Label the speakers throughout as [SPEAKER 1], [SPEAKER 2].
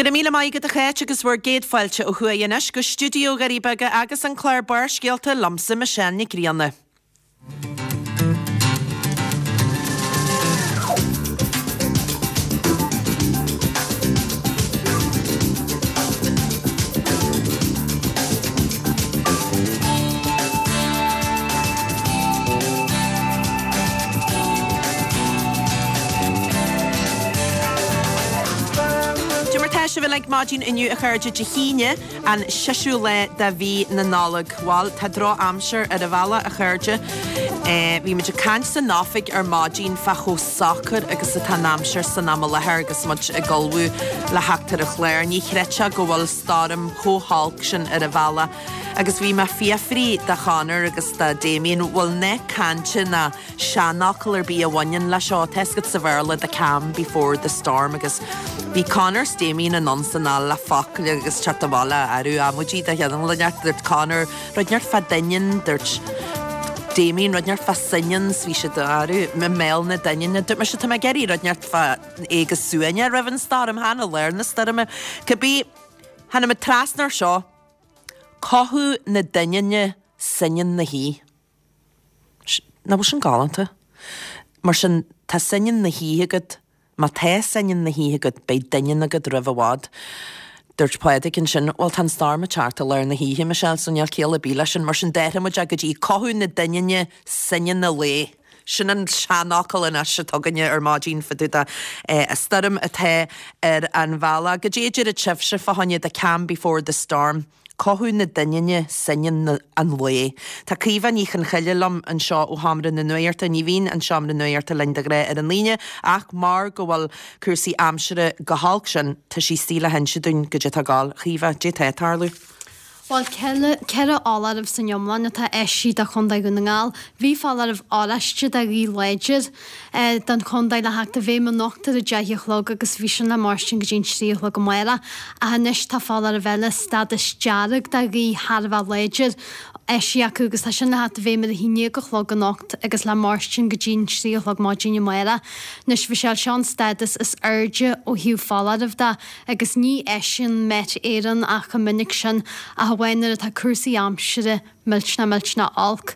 [SPEAKER 1] Go raibh míle maith agat a Cháit agus bhur gcéad fáilte ó thuaidh anois go stiúideo Dhoirí Beaga agus an clár Barrscéalta liomsa Michelle Nic Grianna. Cad é mar tá sibh uilig maidin inniu a chairde Dé hAoine an seisiú lá de mhí na Nollag. Bhal, tá droch-aimsir ar an bhealach a chairde. Bhí muid ag caint san oifig ar maidin fá chomh socair agus atá an aimsir san am i láthair agus muid ag ullmhú le theacht ar an chlár. Ní chreidfeá go bhfuil stoirm chomh holc sin ar an bhealach. Agus bhí mé ag fiafraí de Chonor agus de Damien, bhfuil nath cainte ná seanfhocal ar bith a bhaineann leis seo, tá fhios agat sa Bhéarla the calm before the storm agus bhí Conor 's Damien anonn 's anall le focail agus teacht abhaile arú amaidí de chineál inteacht, dúirt Conor rud inteacht fá doineann, dúirt Damien rud inteacht fá soineann 's bhí siad arú i mbéal na doininne, dúirt mise tá mé ag iarraidh rud inteacht fá é go suaimhneach roimh an stoirm, chan i lár na stoirme, cibé, tháinig muid trasna ar seo. Cothú na doininne soineann na hoíche. Nach bhfuil sin galánta? Mar sin, tá soineann na hoíche agat, má tá soineann na hoíche agat, beidh doineann agat roimh i bhfad. Dúirt Pádraig ansin, bhuel tá an storm ag teacht i lár na hoíche, Michelle, so níl ciall ar bith leis sin. Mar sin, d'athraigh muid é go dtí cothú na doininne soineann an lae. Sin an seanfhocal anois atá againne ar maidin fá dtaobh de stoirm atá ar an bhealach. Goidé a déarfadh sibhse fá choinne the calm before the storm, cothú na doininne, soineann an lae. Tá Caoimhe Ní Chonchoille liom anseo ó Sheomra na Nuachta. Ní bhíonn an Seomra Nuachta linn de ghnáth ar an Aoine ach mar go bhfuil cúrsaí aimsire chomh holc sin, tá sí istigh le hinse dúinn goidé atá ag gabháil. A Chaoimhe, goidé atá ag tarlú.
[SPEAKER 2] Bhuel, 4 fholáireamh san iomlán atá eisithe do Chontae Dhún na nGall. Bhí foláireamh oráiste de ghaoth láidir don chontae le theacht i bhfeidhm anocht ar a 10 a chlog agus bhí sin le mairstin go dtí an 3 a chlog amárach. Ach anois tá foláireamh eile, stádas dearg de ghaoth thar a bheith láidir, eisithe acu agus tá sin le theacht i bhfeidhm ar a 11 a chlog anocht agus le mairstin go dtí an 3 a chlog maidin amárach. Anois, Michelle, seo an stádas is airde ó thaobh foláireamh de. agus ní eisíonn Met Éireann ach chomh minic sin ach amháin nuair atá cúrsaí aimsire millteanach millteanach olc.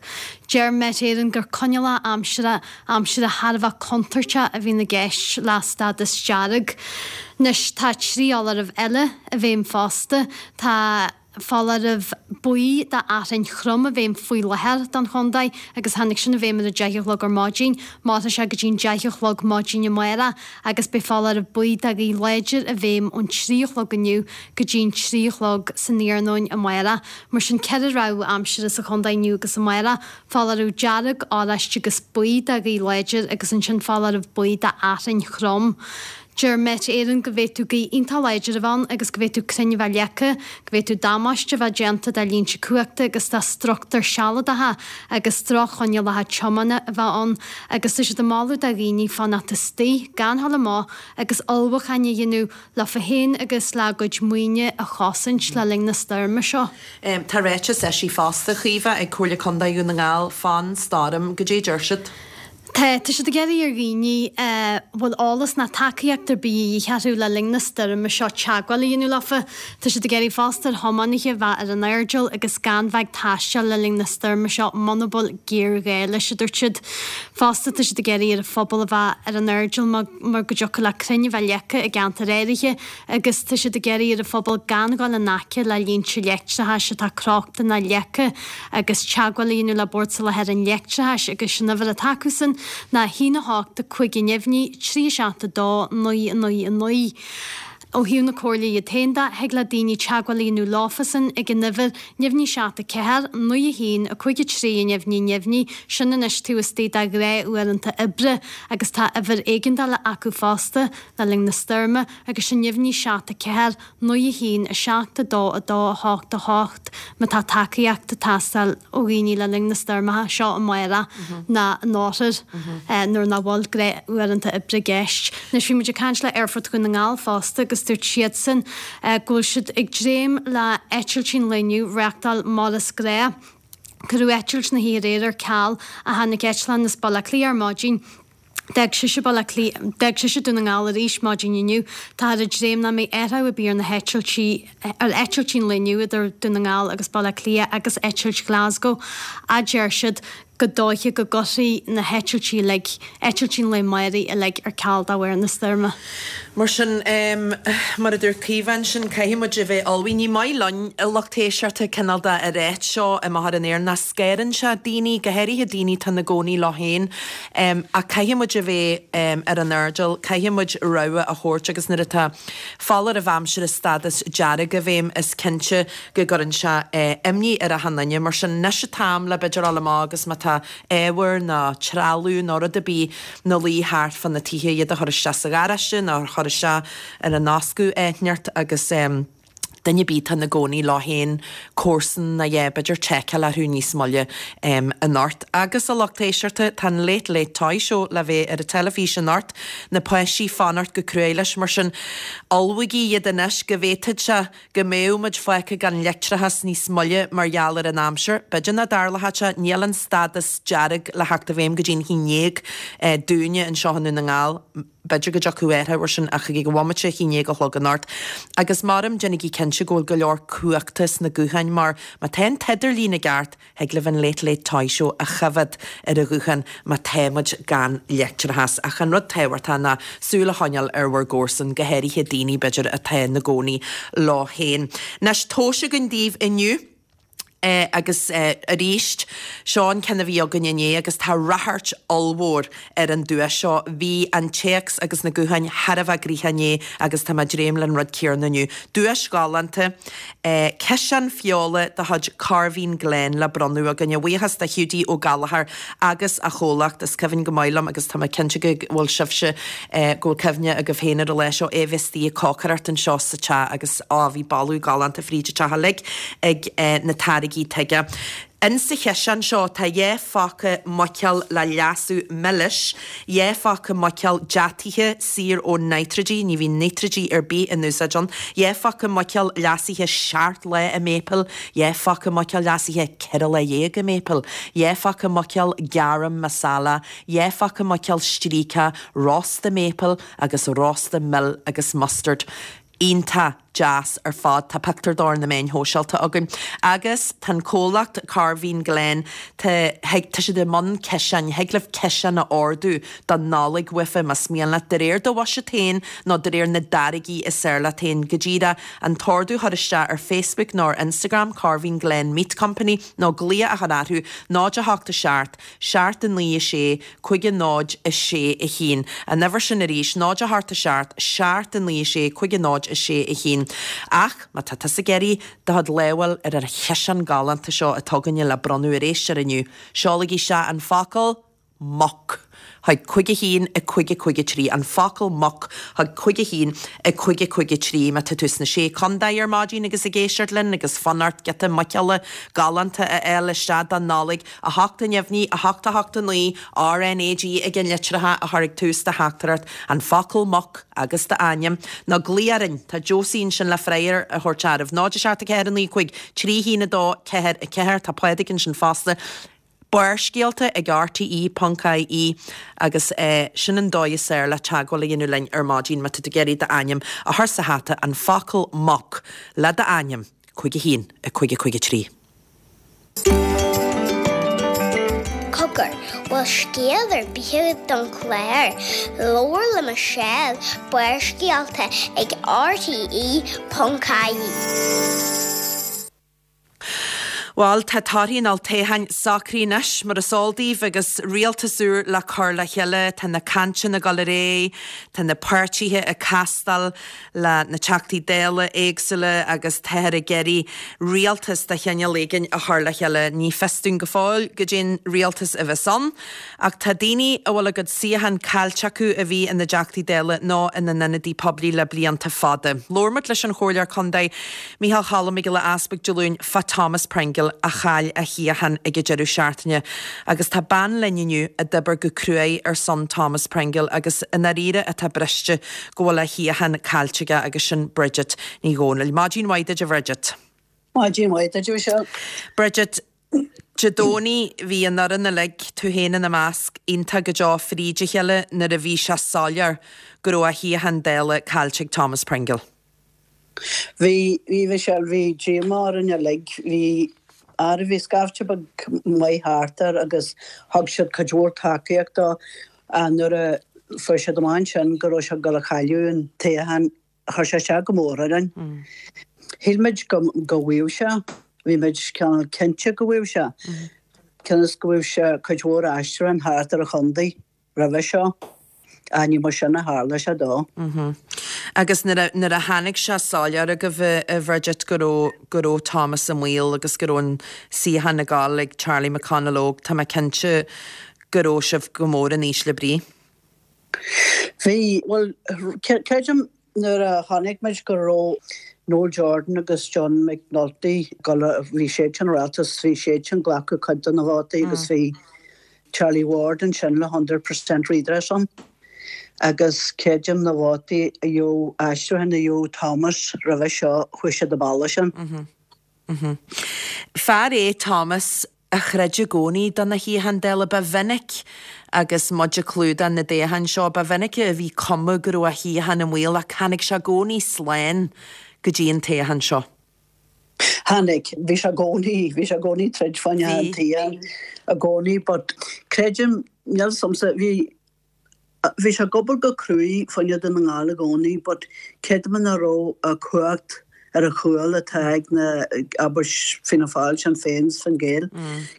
[SPEAKER 2] Deir Met Éireann gur coinníollacha aimsire aimsire thar a bheith contúirteach a bhíonn i gceist le stádas dearg. Anois tá 3 fholáireamh eile i bhfeidhm fosta. Tá. foláireamh buí d'fhearthainn throm i bhfeidhm faoi láthair don chontae agus tháinig sin i bhfeidhm ar a 10 a chlog ar maidin. Mairfidh sé go dtí an 10 a chlog maidin amárach agus beidh foláireamh buí de ghaoth láidir i bhfeidhm ón 3 a chlog inniu go dtí an 3 a chlog san iarnóin amárach. Mar sin, 4 rabhadh aimsire sa chontae inniu agus amárach, foláireamh dearg, oráiste agus buí de ghaoth láidir agus ansin foláireamh buí d'fhearthainn throm. Deir Met Éireann go bhféadfadh gaoth iontach láidir a bheith ann agus go bhféadfadh crainn a bheith leagtha, go bhféadfadh damáiste a bheith déanta do línte cumhachta agus do struchtúir sealadacha agus droch-choinníollacha tiomána a bheith ann agus tá siad ag moladh do dhaoine fanacht istigh, gan dhul amach agus ullmhúcháin a dhéanamh leofa féin agus le a gcuid maoine a chosaint le linn na stoirme seo.
[SPEAKER 1] Tá ráiteas eisithe fosta, a Chaoimhe, ag Comhairle Contae Dhún na nGall fán stoirm. Goidé a deir siad?
[SPEAKER 2] Tá, tá siad ag iarraidh ar dhaoine a bhfuil eolas ná tacaíocht ar bith a dhíth orthu le linn na stoirme seo teagmháil a dhéanamh leofa. Tá siad ag iarraidh fosta ar thiománaithe bheith ar an airdeall agus gan bheith ag taisteal le linn na stoirme seo muna bhfuil géarghá leis, a dúirt siad. Fosta tá siad ag iarraidh ar an phobal a bheith ar an airdeall mar go dtiocfadh le crainn a bheith leagtha i gceantair áirithe agus tá siad ag iarraidh ar an phobal gan dhul in aice le línte leictreachais atá crochta ná leagtha agus teagmháil a dhéanamh le Bord Soláthair an Leictreachais agus an uimhir atá acusan ná 1 8 5 neamhní 3 7 2 9 9 9. Ó thaobh na Comhairle iad féin de, thig le daoine teagmháil a dhéanamh leofasan ag an uimhir neamhní 7 4 9 1 5 3 neamhní neamhní, sin anois taobh istigh de ghnáth-uaireanta oibre agus tá uimhir éigeandála acu fosta le linn na stoirme. agus sin neamhní 7 4 9 1 7 2 2 8 8 má tá tacaíocht ag teastáil ó dhaoine le linn na stoirmeacha seo amárach ná in oirthear nuair nach bhfuil gnáthuaireanta oibre i gceist. Anois bhí muid ag caint le Aerfort Dhún na nGall fosta agus dúirt siadsan go bhfuil siad ag dréim le eitiltí an lae inniu a reachtáil mar is gnách. Cuireadh eitilt na hoíche aréir ar ceal ach tháinig eitleán as Baile Átha Cliath ar maidin. D'fhág sise Baile Átha Cliath, d'fhág sise Dún na nGall arís maidin inniu. Táthar ag dréim nach mbeidh athrú ar bith ar na heitiltí, ar eitiltí an lae inniu idir Dún na nGall agus Baile Átha Cliath agus eitilt Glasgow, a deir siad gur dóiche go gcuirfí na heitiltí uilig, eitiltí an lae amáirigh uilig ar ceal de bharr na stoirme.
[SPEAKER 1] Mar sin, mar a dúirt Caoimhe ansin, caithfidh muid a bheith ullmhaithe. Ní maith linn, a lucht éisteachta, cineál de a ráit seo amach ar an aer, nach scanraíonn sé daoine, go háirithe daoine atá ina gcónaí leo féin. Ach caithfidh muid a bheith ar an airdeall, caithfidh muid rabhadh a thabhairt agus nuair atá foláireamh aimsire stádas dearg i bhfeidhm, is cinnte go gcuireann sé imní ar achan duine. Mar sin, anois an t-am le b'fhéidir dul amach agus má tá ábhar nó trealamh nó rud ar bith 'na luí thart fá na tithe, iad a chur isteach sa gharáiste nó a chur isteach ar an fhoscadh áit inteacht agus duine ar bith atá ina gcónaí leo féin, comharsan nó a dhath, b'fhéidir seiceáil orthu níos moille anocht. Agus a lucht éisteachta, tá an Late Late Toy Show le bheith ar an teilifís anocht, na páistí ag fanacht go cruaidh leis, mar sin ullmhaígí iad anois go bhféadfadh sé go mbeadh muid fágtha gan leictreachas níos moille mar gheall ar an aimsir. B'fhéidir nach dtarlóidh sé, níl an stádas dearg le theacht i bhfeidhm go dtí'n haon ndéag dúinne anseo i nDún na nGall. B'fhéidir go dtiocfadh athrú air sin ach ag an bhomaite a haon ndéag a chlog anocht. Agus maram, déanaigí cinnte go bhfuil go leor cumhachta sna gutháin mar má tá an t-idirlíon i gceart, thig libh an Late Late Toy Show a choimhéad ar an ghuthán má tá muid gan leictreachas. Ach an rud tábhachtach ná súil a choinneáil ar bhur gcomharsan, go háirithe daoine, b'fhéidir, atá ina gcónaí leo féin. Anois, tomhais againn daoibh inniu. Agus arís, seo an ceann a bhí againn inné agus tá ráchairt ollmhór ar an duais seo. Bhí an téacs agus na gutháin thar a bheith gnoitheach inné agus tá mé ag dréim leis an rud céanna inniu. Duais ghalánta, ciseán feola de chuid Corveen Glen le bronnadh againn. A bhuíochas do Hiúdaí Ó Gallchóir agus a chomhlacht. Is cuimhin go maith liom agus tá mé cinnte go bhfuil sibhse, go bhfuil cuimhne agaibh féin ar an lá seo, é a bheith istigh ag cócaireacht anseo sa teach agus á, bhí boladh galánta fríd an teach uilig ag na táirgí tige. In sa chiseán seo tá dhá phaca muiceoil le leasú milis, dhá phaca muiceoil deataithe saor ó nítrigí, ní bhíonn nítrigí ar bith in úsáid ann, dhá phaca muiceoil leasaithe seacht lá i maple, dhá phaca muiceoil leasaithe 14 lá i maple, dhá phaca muiceoil garam masala, dhá phaca muiceoil stríocach, rósta maple agus rósta mil agus mustard. Iontach deas ar fad. Tá pictiúr dó ar na meáin shóisialta againn. Agus tá an comhlacht Corveen Glen, tá, tá siad i mbun ciseáin, thig libh ciseán a ordú don Nollaig uafa más mian leat, de réir do bhuiséad féin nó de réir na dtáirgí is fearr leat féin. Go díreach an t-ordú a chur isteach ar Facebook nó ar Instagram, Corveen Glen Meat Company, nó glaoch a chur orthu, 0 8 7 7 9 6 5 0 6 1. An uimhir sin arís, 0 8 7 7 9 6 5 0 6 1. Ach má tá tusa ag iarraidh do chuid lámh a fháil ar an chiseán galánta seo atá againne le bronnadh ar éisteoir inniu, seolaigí isteach an focal muc chuig 5 1 5 5 3, an focal muc chuig 5 1 5 5 3. Má tá tú sna Sé Contae ar maidin agus ag éisteacht linn agus fonn ort giota muiceola galánta a fháil isteach don Nollaig, 8 neamhní, 8 8 9, RnaG ag an litreacha a chur ag tús do theachtaireacht, an focal muc agus d'ainm. Nó glaoigh orainn, tá Josie ansin le freagra a thabhairt oraibh. 0 7 4 9 5 3 1 2 4 4, tá Pádraig ansin fosta. Barrscéalta ag rte.ie agus sin an dóigh is fearr le teagmháil a dhéanamh linn ar maidin má tá tú ag iarraidh d'ainm a chur sa hata, an focal muc le d'ainm, 5 1 5 5 3.
[SPEAKER 3] Cogar, bhfuil scéal ar bith agat don chlár? Labhair le Michelle, Barrscéalta ag RTE.ie.
[SPEAKER 1] Bhuel, tá torthaí an olltoghcháin socraithe anois, mar is eol daoibh, agus rialtas úr le cur le chéile. Tá na cainteanna ag dul ar aghaidh, tá na páirtithe ag castáil le na Teachtaí Dála éagsúla agus táthar ag iarraidh rialtas de chineál éigin a chur le chéile. Ní fios dúinn go fóill goidé'n rialtas a bheas ann ach tá daoine a bhfuil a gcuid suíochán caillte acu a bhí ina dTeachtaí Dála nó ina n-ionadaí poiblí le blianta fada. Labhair muid leis an Chomhairleoir Contae, Micheál Cholm Mac Giolla Easbuig Dé Luain fá Thomas Pringle a chaill a shuíochán ag an deireadh seachtaine agus tá bean linn inniu a d'oibir go cruaidh ar son Thomas Pringle agus i ndáiríre atá briste go bhfuil a shuíochán caillte aige agus sin Bridget Ní Dhomhnaill. Maidin mhaith duit a Bhridget.
[SPEAKER 4] Maidin mhaith duit a Mhichelle.
[SPEAKER 1] Bridget, Dé Domhnaigh bhí an fhoireann uilig, tú féin ina measc, iontach go deo fríd a chéile nuair a bhí sé soiléir go raibh a shuíochán Dála caillte ag Thomas Pringle.
[SPEAKER 4] Bhí, bhí Michelle, bhí díomá orainn uilig, bhí, ara bhí scaifte beag maith thart air agus thug siad cuid mhór tacaíocht dó ach nuair a fuair siad amach ansin go raibh sé ag dul a chailleadh an toghchán, chuir sé isteach go mór orainn. Shíl muid go go bhfaigheadh sé, bhí muid cineál cinnte go bhfaigheadh sé, cionn is go bhfaigheadh sé cuid mhór aistriúchán thart ar an chontae roimhe seo, ach ní mar sin a tharla sé dó.
[SPEAKER 1] Agus nuair a nuair a tháinig sé soiléir agaibh a Bhridget go raibh go raibh Thomas i mbaol agus go raibh an suíochán ag dul ag Charlie McConalogue, tá mé cinnte go raibh sibh go mór in ísle brí.
[SPEAKER 4] Bhí, bhuel, creidim nuair a chonaic muid go raibh Noel Jordan agus John McNulty, bhí siadsan rialtas, bhí siadsan glacadh cuid de na vótaí agus bhí Charlie Ward ansin le 100% redress ann agus creidim na vótaí a gheobhadh, aistriúchán a gheobhadh Thomas roimhe seo, chuaigh siad an bealach sin.
[SPEAKER 1] Fear é Thomas a chreid i gcónaí do na shuíocháin Dála. Ba mhinic agus muid ag clúdach na dtoghchán seo, ba mhinic a bhí cuma go raibh a shuíochán i mbaol ach tháinig sé i gcónaí slán go dtí an toghchán seo.
[SPEAKER 4] Tháinig. Bhí sé i gcónaí, bhí sé i gcónaí troid fá choinne an tsuíocháin i gcónaí but creidim, níl 'fhios a'msa, bhí, Bhí sé ag obair go cruaidh fá choinne Dún na nGall i gcónaí but creidim nach raibh an cumhacht ar a chúl atá ag na, abair, Fianna Fáil, Sinn Féin 's Fine Gael.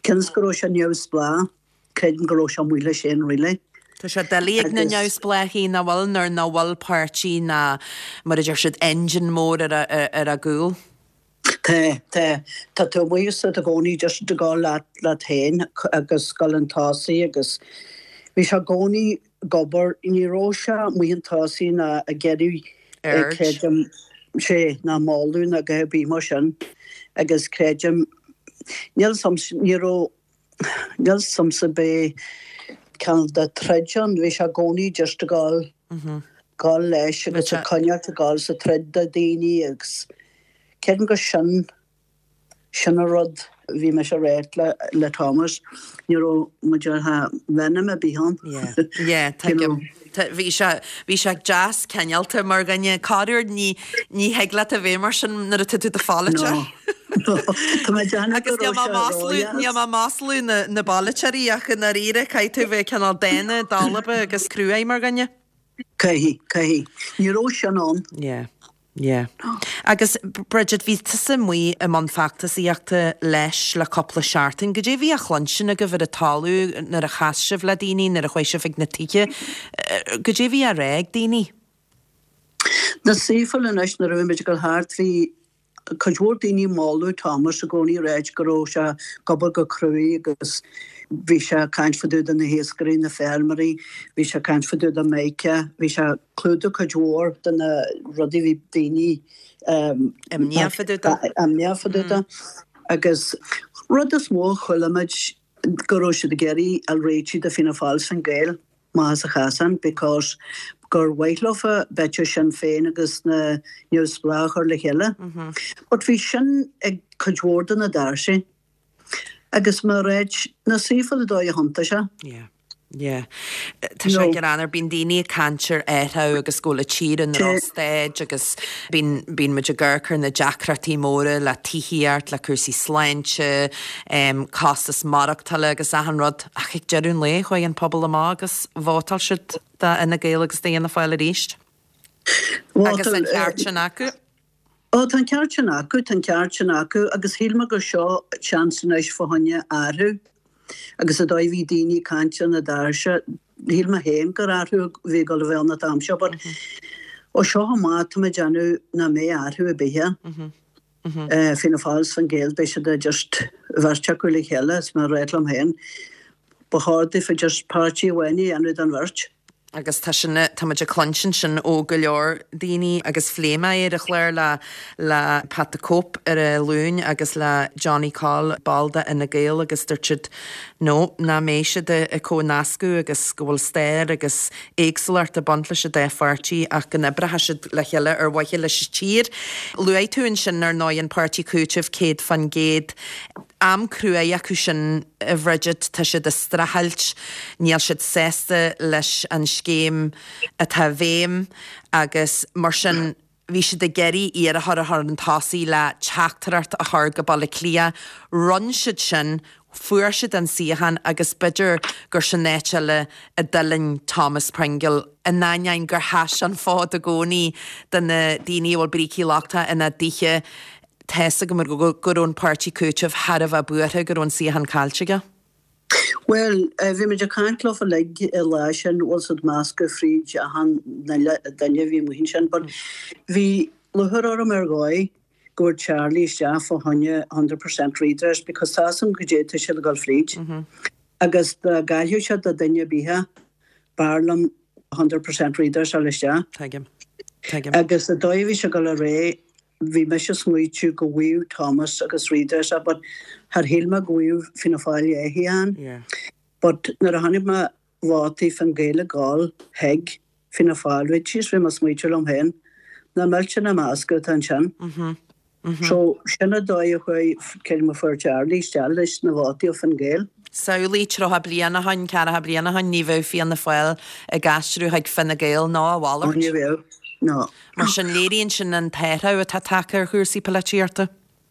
[SPEAKER 4] Cionn is go raibh sé neamhspleách, creidim go raibh sé amuigh leis féin really.
[SPEAKER 1] Tá sé doiligh ag na neamhspleáchaí nach bhfuil nuair nach bhfuil páirtí ná mar a deir siad engine mór ar a gcúl.
[SPEAKER 4] Tá, tá. Tá tú amuigh is i gcónaí just ag dul leat, leat féin agus dul chun tosaigh agus bhí sé i gcónaí ag obair, ní raibh sé amuigh chun tosaigh ná ag iarraidh
[SPEAKER 1] Aird.
[SPEAKER 4] creidim, sé, ná moladh ná a dhath ar bith mar sin agus creidim, níl 'fhios a'm, ní raibh, níl 'fhios a'msa b'é cineál de troid ann, bhí sé i gcónaí just ag dul, dul leis agus ag coinneáilt ag dul sa troid do daoine agus creidim gur sin, sin an rud a bhí mise a ráit le, le Thomas, ní raibh muid ar venom ar bith ann.
[SPEAKER 1] Yeah, yeah, tuigim. Bhí sé, bhí sé deas cineálta mar dhuine. Corruair ní, ní thig leat a bheith mar sin nuair atá tú i do pholaiteoir.
[SPEAKER 4] No. No. Tá mé ag déanamh
[SPEAKER 1] go
[SPEAKER 4] Agus níl
[SPEAKER 1] raibh mé
[SPEAKER 4] sé
[SPEAKER 1] maslú,
[SPEAKER 4] ródheas.
[SPEAKER 1] níl mé ag maslú na, na bpolaiteoirí ach i ndáiríre caithfidh tú a bheith cineál dána, dalba agus cruaidh mar dhuine.
[SPEAKER 4] Caithfidh, caithfidh. Ní raibh sin ann.
[SPEAKER 1] Yeah. Yeah. Agus Bridget, bhí tusa amuigh i mbun feachtasaíochta leis le cúpla seachtain. Goidé a bhí á chluinstin agaibh ar an talamh nuair a chas sibh le daoine, nuair a chuaigh sibh chuig na tithe? Goidé a bhí á rá ag daoine?
[SPEAKER 4] Na saofail anois nuair a bhí muid ag dul thart bhí cuid mhór daoine ag moladh Thomas i gcónaí ag ráit go raibh sé ag obair go cruaidh agus bhí sé ag caint fá dtaobh de na hiascairí, na feirmeoirí, bhí sé ag caint fá dtaobh de Micah, bhí sé ag clúdú cuid mhór de na rudaí a bhí daoine
[SPEAKER 1] Imníoch fá dtaobh
[SPEAKER 4] de. Imníoch fá dtaobh de. Agus rud is mó a chuala muid go raibh siad ag iarraidh a réitigh do Fianna Fáil 's Fine Gael. amach as an chasán because gur mhaith leofa b'fhéidir Sinn Féin agus na neamhspleách a chur le chéile. But bhí sin ag cuid mhór de na doirse agus mar ráit na saofa le dóigh a thiontaigh sé.
[SPEAKER 1] Yeah. Yeah. Tá sé greannmhar, bíonn daoine ag caint ar athrú agus go bhfuil an tír i ndrochstaid agus bíonn, bíonn muid ag amharc ar na deacrachtaí móra le tithíocht, le cúrsaí sláinte, costas maireachtála agus achan rud. Ach ag deireadh an lae, chuaigh an pobal amach agus vótáil siad do Fhine Gael agus d'Fhianna Fáil arís. Agus an ceart sin acu.
[SPEAKER 4] Ó, tá an ceart sin acu, tá an ceart sin acu agus shíl mé gur seo seans anois fá choinne athrú agus an dóigh a bhí daoine ag caint ar na doirse, shíl mé féin gur athrú a bhí ag dul a bheith ann an t-am seo but ó seo amach tá mé ag déanamh nach mbeidh athrú ar bith ann. Fianna Fáil 's Fine Gael, beidh siad just bheirt acu le chéile is mar ráit liom féin, ba chóir daofa just páirtí amháin a dhéanamh den bheirt.
[SPEAKER 1] Agus tá sin, tá muid ag cluinstin sin ó go leor daoine agus phléigh mé é ar an chlár le le Pat the Cope ar an Luan agus le Johnny Coll, ball de Fhine Gael agus dúirt siad no, nach mbeidh siad ag comhnascadh agus go bhfuil stair agus éagsúlacht ag baint leis an dá pháirtí ach go n-oibreoidh siad le chéile ar mhaithe leis an tír. Luaigh tú ansin, ar ndóigh, an Páirtí Cúitimh 100%. Am cruaidh acu sin, a Bhridget, tá siad ag streachailt, níl siad sásta leis an scéim atá i bhfeidhm agus mar sin bhí siad ag iarraidh iarrthóir a chur chun tosaigh le teachtaireacht a chur go Baile Átha Cliath. Rinne siad sin, fuair siad an suíochán agus b'fhéidir gur sin áit eile a d'fhuilaing Thomas Pringle, in ainneoin gur sheas an fód i gcónaí do na daoine a bhfuil brící lochtacha ina dtithe. Tá's agam go raibh an páirtí Cúitimh thar a bheith buartha go raibh an suíochán caillte aige.
[SPEAKER 4] Bhuel, bhí muid ag caint leofa uilig an lá sin, bhfuil 's a'd meascadh fríd achan duine a bhí amuigh ansin, but bhí lúcháir orm ar dhóigh go bhfuair Charlie isteach fá choinne 100% redress because tá's a'm goidé tá siad ag dul fríd agus dá gcaillfeadh siad do duine ar bith b'fhearr liom 100% redress a fháil isteach.
[SPEAKER 1] Tuigim. Tuigim.
[SPEAKER 4] Agus an dóigh a bhí sé ag dul ar aghaidh, Bhí mise ag smaoitiú go bhfaigheadh Thomas agus redress é but char shíl mé go bhfaigheadh Fianna Fáil leathshuíochán.
[SPEAKER 1] Yeah.
[SPEAKER 4] But nuair a chonaic mé vótaí Fine Gael ag gabháil chuig Fianna Fáil, bhí jeez bhí mé ag smaoitiú liom féin, nach millteanach an meascadh atá ansin.
[SPEAKER 1] Mhm. Mhm.
[SPEAKER 4] So sin an dóigh a chuaigh, creidim a fuair Charlie isteach leis na vótaí ó Fine Gael.
[SPEAKER 1] Samhlaigh, 30 bliain ó shoin, 40 bliain ó shoin, ní bheadh Fianna Fáil ag aistriú chuig Fine Gael ná a
[SPEAKER 4] Ó
[SPEAKER 1] mhalairt.
[SPEAKER 4] ní bheadh, no.
[SPEAKER 1] Mar sin, léiríonn sin an t-athrú atá tagtha ar chúrsaí polaitíochta.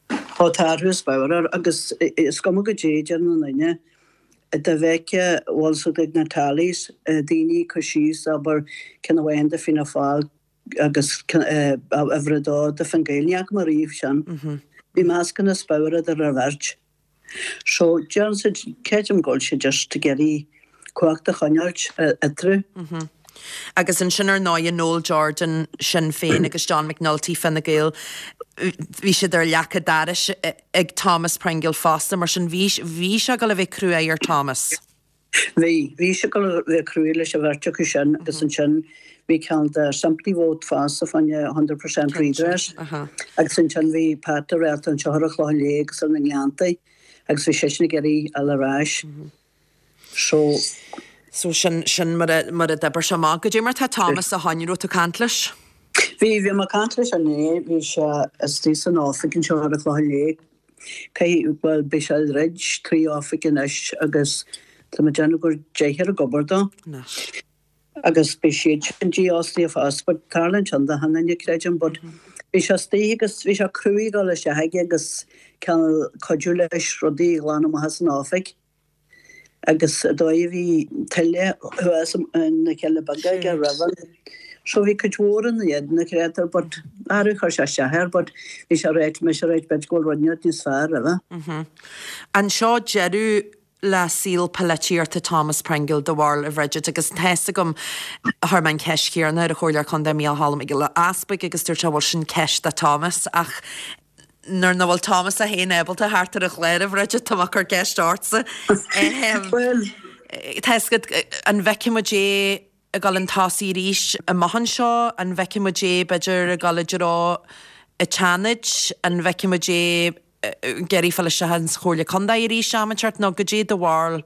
[SPEAKER 4] Tá athrú is mór air agus is cuma goidé a deireann aon duine, dá bhfeicfeá, bhfuil 's a'd ag na tallies, daoine ag cur síos, abair, ceann amháin do Fianna Fáil agus uimhir a dó do Fine Gael, ní fhaca mé riamh sin. Bhí meascán is bodhar idir an bheirt. So, déarfainn siad, creidim go bhfuil siad just ag iarraidh cumhacht a choinneáilt eatarthu.
[SPEAKER 1] Agus ansin ar ndóighe Noel Jordan, Sinn Féin, agus John McNulty, Fine Gael, bhí siad ar leac an dorais ag Thomas Pringle fosta, mar sin bhí, bhí sé ag dul a bheith cruaidh ar Thomas.
[SPEAKER 4] Bhí. Bhí sé ag dul a bheith cruaidh leis an bheirt acu sin agus ansin bhí ceann de simply vote fosta fá choinne hundred percent redress agus ansin bhí Pat de Réalta anseo ar an Chlochán Liath agus ar na Gleanntaí agus bhí seisean ag iarraidh dul ar ais. So.
[SPEAKER 1] So sin, sin mar a, mar a d'oibir sé amach. Goidé mar tá Thomas ó shoin, raibh tú ag caint leis?
[SPEAKER 4] Bhí, bhí mé ag caint leis inné, bhí sé istigh san oifig anseo ar an Chlochán Liath. Caithfidh, bhuel, beidh sé ag troid 3 oifig anois agus tá mé ag déanamh gur deichniúr ag obair dó.
[SPEAKER 1] Anois.
[SPEAKER 4] Agus beidh siad sin dífhostaithe fosta, but tarlaíonn sin do achan duine, creidim, but bhí sé istigh agus bhí sé cruaidh ag dul isteach aige agus cineál cuidiú leis rudaí a ghlanadh amach as an oifig. agus an dóigh a bhí tuile thuas na Cealla Beaga aige roimhe. So bhí cuid mhór ina éadan a chréatúr but arú chuir sé isteach air but bhí sé ráite mise ráite b'fhéidir go bhfuil rud inteacht níos fearr
[SPEAKER 1] roimhe. An seo deireadh le saol polaitíochta Thomas Pringle, do bharúil, a Bhridget, agus tá's agam, chuir mé an cheist chéanna ar an Chomhairleoir Contae Micheál Cholm Mac Giolla Easpaig agus dúirt sé bhuel sin ceist do Thomas ach Nuair nach bhfuil Thomas é féin ábalta theacht ar an chlár, a Bhridget, tá mé ag cur ceist ortsa.
[SPEAKER 4] Bhuel.
[SPEAKER 1] Tá fhios agat, an bhfeicfidh muid é ag dul chun tosaigh arís amach anseo? An bhfeicfidh muid é, b'fhéidir, ag dul i dtreo an tSeanaid? An bhfeicfidh muid é ag iarraidh fáil isteach ins Chomhairle Contae arís am inteacht? Nó goidé do bharúil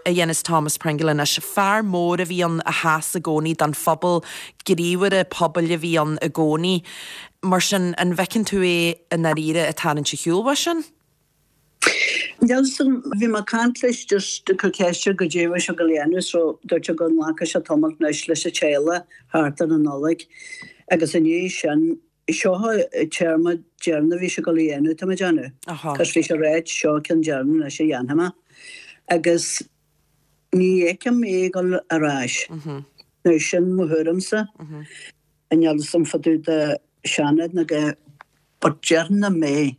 [SPEAKER 1] a dhéanfas Thomas Pringle anois. Fear mór a bhí ann a sheas i gcónaí don phobal, gníomhaire pobail a bhí ann i gcónaí. Mar sin, an bhfeiceann tú é i ndáiríre ag tarraingt a shiúl uaidh sin?
[SPEAKER 4] Níl 'fhios a'm, bhí mé ag caint leis just ag cur ceist air goidé a bhí sé ag dul a dhéanamh so dúirt sé go nglacfadh sé tamalt anois leis an teaghlach thart ar an Nollaig agus i ndiaidh sin Seo an téarma deireanach a bhí sé ag dul a dhéanamh, tá mé ag déanamh. Cos bhí sé ag ráit, seo ceann deireanach anois a dhéanfaidh mé. Agus ní fheicim é ag dul ar ais. Now sin mo thuairimse. Níl 'fhios a'm fá dtaobh de Seanad nó de but déarfainn nach mbeidh.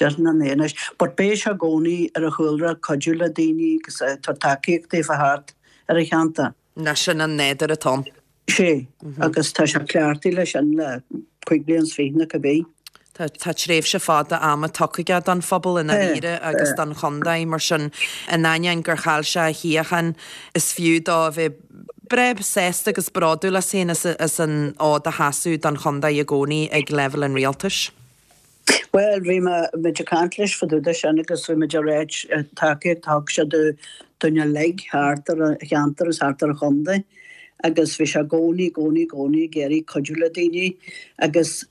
[SPEAKER 4] Déarfainn nach mbeidh anois. But beidh sé i gcónaí ar a chúlra cuidiú le daoine agus tabhairt tacaíocht daofa thart ar an cheantar.
[SPEAKER 1] Ná sin an nádúr atá ann.
[SPEAKER 4] Sé, agus tá sé cleachtaithe leis sin le 25 bliain nó cibé.
[SPEAKER 1] Tá, tá tréimhse fada ama tugtha aige don phobal i ndáiríre agus don chontae, mar sin, in ainneoin gur chaill sé a shuíochán, is fiú dó a bheith breá sásta agus bródúil as féin as an fhód a sheasamh don chontae i gcónaí ag leibhéal an rialtais.
[SPEAKER 4] Bhuel, bhí muid ag caint leis fá dtaobh de sin agus bhí muid ag ráit tacaíocht a thug sé dúinn uilig thart ar an cheantar agus thart ar an chontae agus bhí sé i gcónaí, i gcónaí, i gcónaí ag iarraidh cuidiú le daoine agus.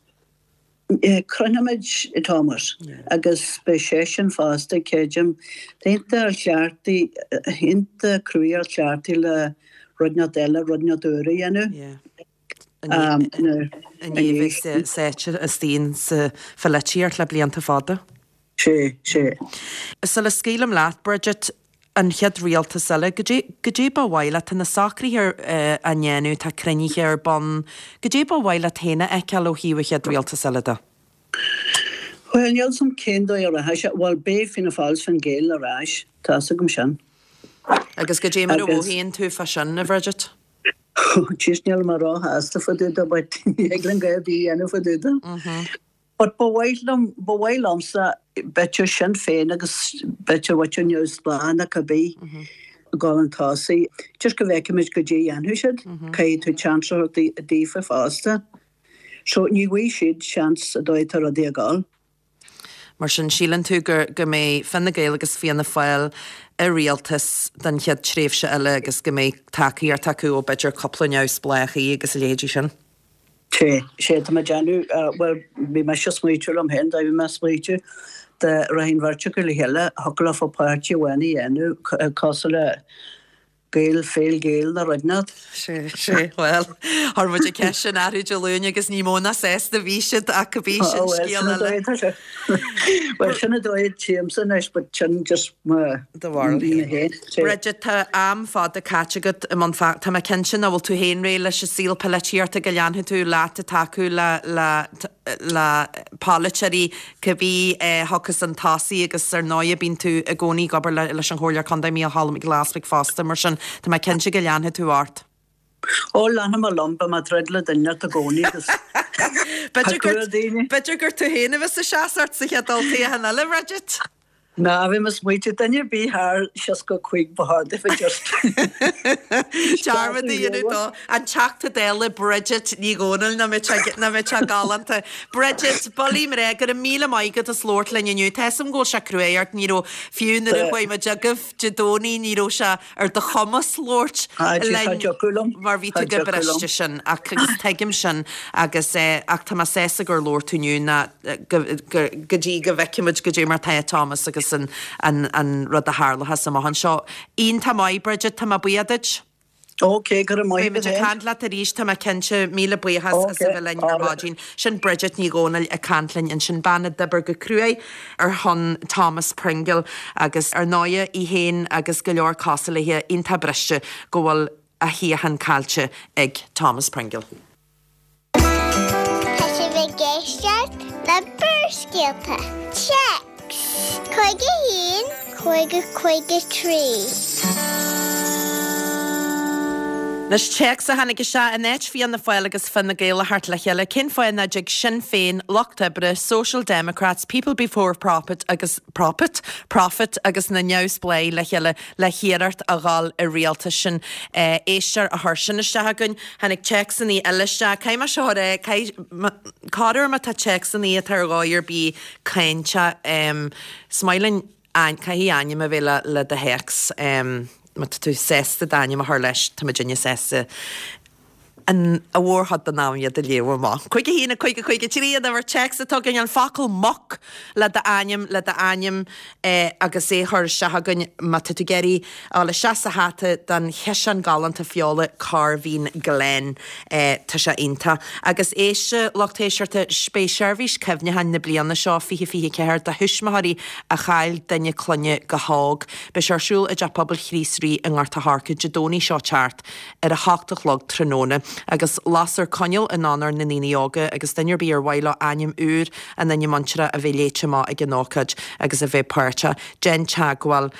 [SPEAKER 4] Croinfimid Thomas agus beidh seisean fosta, creidim. Tá iontach cleachtaithe, iontach cruaidh ar chleachtaithe le rud inteacht eile, rud inteacht úr a dhéanamh.
[SPEAKER 1] I ndiaidh a bheith sáite istigh sa pholaitíocht le blianta fada.
[SPEAKER 4] Sé, sé.
[SPEAKER 1] Sula scaoilim leat, Bridget, an chéad rialtas eile, goidé, goidé ba mhaith leat, tá na socruithe á ndéanamh, tá cruinnithe ar bun, goidé ba mhaith leat féin a fheiceáil ó thaobh an chéad rialtas eile de?
[SPEAKER 4] Bhuel, níl 's a'm cén dóigh a rachaidh sé, bhuel, beidh Fianna Fáil is Fine Gael ar ais, tá's agam sin.
[SPEAKER 1] Agus goidé mar a mhothaíonn tú fá sin, a Bhridget?
[SPEAKER 4] Jeez, níl mé róshásta fá dtaobh de, but ní thig linn a dhath ar bith a dhéanamh fá dtaobh de. But ba mhaith liom, ba mhaith liomsa, b'fhéidir Sinn Féin agus b'fhéidir muintir neamhspleách nó cibé, dul chun tosaigh, just go bhfeicfimid goidé a dhéanfaidh siad, caithfidh tú chance a thabhairt daofa fosta. So ní bhfaighidh siad seans an dóigh atá rudaí ag dul.
[SPEAKER 1] Mar sin, síleann tú go go mbeidh Fine Gael agus Fianna Fáil i rialtas don chéad tréimhse eile agus go mbeidh tacaíocht acu ó b'fhéidir cúpla neamhspleáchaí agus a leithéidí sin?
[SPEAKER 4] Sé, sé, tá mé ag déanamh, bhuel, bhí mise ag smaoitiú liom féin, bhí mé ag smaoitiú dá rachadh an bheirt acu le chéile, thiocfadh leofa páirtí amháin a dhéanamh, cosúil le Gael, Féil Gael nó rud inteacht.
[SPEAKER 1] Sé, sé, bhuel, chuir muid an cheist sin orthu Dé Luain agus ní mó ná sásta a bhí siad ach cibé sin scéal
[SPEAKER 4] eile. Bhuel, sin an dóigh a tchímse anois, but sin just mo
[SPEAKER 1] Do bharúil féin. Bridget, tá am fada caite agat i mbun feachtais. Tá mé cinnte nach bhfuil tú féin réidh leis an saol polaitíochta, go leanfaidh tú leat ag tacú le, le, le polaiteoirí cibé a thiocfas chun tosaigh agus ar ndóighe bíonn tú i gcónaí ag obair leis an Chomhairleoir Contae Mícheál Cholm Mac Giolla Easbuig fosta, mar sin tá mé cinnte go leanfaidh tú ort.
[SPEAKER 4] Ó, leanfaidh mé liom, beidh mé ag troid le duine inteacht i gcónaí agus
[SPEAKER 1] B'fhéidir gur, b'fhéidir gur tú féin a bheas ag seasamh ort sa chéad olltoghchán eile, Bridget?
[SPEAKER 4] Ná, bhí mé ag smaoitiú, duine ar bith thar 65 ba chóir daofa just
[SPEAKER 1] Dearmad a dhéanamh dó. An Teachta Dála Bridget Ní Dhomhnaill, nach mbeadh sé, nach mbeadh sé galánta. Bridget, Bullaí mná, go raibh míle maith agat as labhairt linn inniu. Tá 'fhios a'm go bhfuil sé cruaidh ort, ní raibh, fiú nuair a chuaigh muid chugaibh Dé Domhnaigh, ní raibh sé ar do chumas labhairt linn mar bhí tú chomh briste sin ach agus tuigim sin agus ach tá mé sásta gur labhair tú inniu ná go dtí go bhfeicfimid goidé mar tá Thomas agus an an rud a tharlóchas amach anseo. Iontach maith Bridget, tá mé buíoch duit.
[SPEAKER 4] Ok, go raibh maith
[SPEAKER 1] agat. Beidh muid ag caint leat arís, tá mé cinnte. Míle buíochas as a bheith linn ar maidin. Sin Bridget Ní Dhomhnaill ag caint linn ansin, bean a d'oibir go cruaidh ar shon Thomas Pringle agus ar ndóighe í féin agus go leor cosúil léi iontach briste go bhfuil a shuíochán caillte ag Thomas Pringle.
[SPEAKER 3] Tá sibh ag éisteacht le Barrscéalta. Téacs 51 50 53.
[SPEAKER 1] Anois téacs a tháinig isteach in áit Fianna Fáil agus Fine Gael a theacht le chéile, cén fáth nach dtig Sinn Féin, Lucht Oibre, Social Democrats, People Before Prophet agus Prophet? Profit agus na Neamhspleáigh le chéile le hiarracht a dhul i rialtas? Sin éisteoir a chuir sin isteach againn. Tháinig téacsanna eile isteach. Caithfidh mé seo a rá, caithfidh, corruair má tá téacsanna atá ar dhóigh ar bith cáinteach, is maith linn, caithfidh ainm a bheith le, le do théacs. Má tá tú sásta d'ainm a chur leis, tá muidinne sásta an mhórchuid den am iad a léamh amach. 51 5 53 an uimhir téacs atá againn, an focal muc le d'ainm, le d'ainm agus é a chur isteach againn má tá tú ag iarraidh a dhul isteach sa hata don chiseán galánta feola Corveen Glen. Tá sé iontach. Agus éist, a lucht éisteachta, beidh seirbhís cuimhneacháin na bliana seo, 2024, do thuismitheoirí a chaill duine clainne go hóg. Beidh sé ar siúl i dTeach Pobail Chríost Rí i nGort a' Choirce Dé Domhnaigh seo teacht ar a hocht a chlog tráthnóna. Agus lasfar coinneal in onóir na ndaoine óga agus duine ar bith ar mhaith leo ainm úr a nduine muinteartha a bheith léite amach ag an ócáid agus a bheith páirteach, déan teagmháil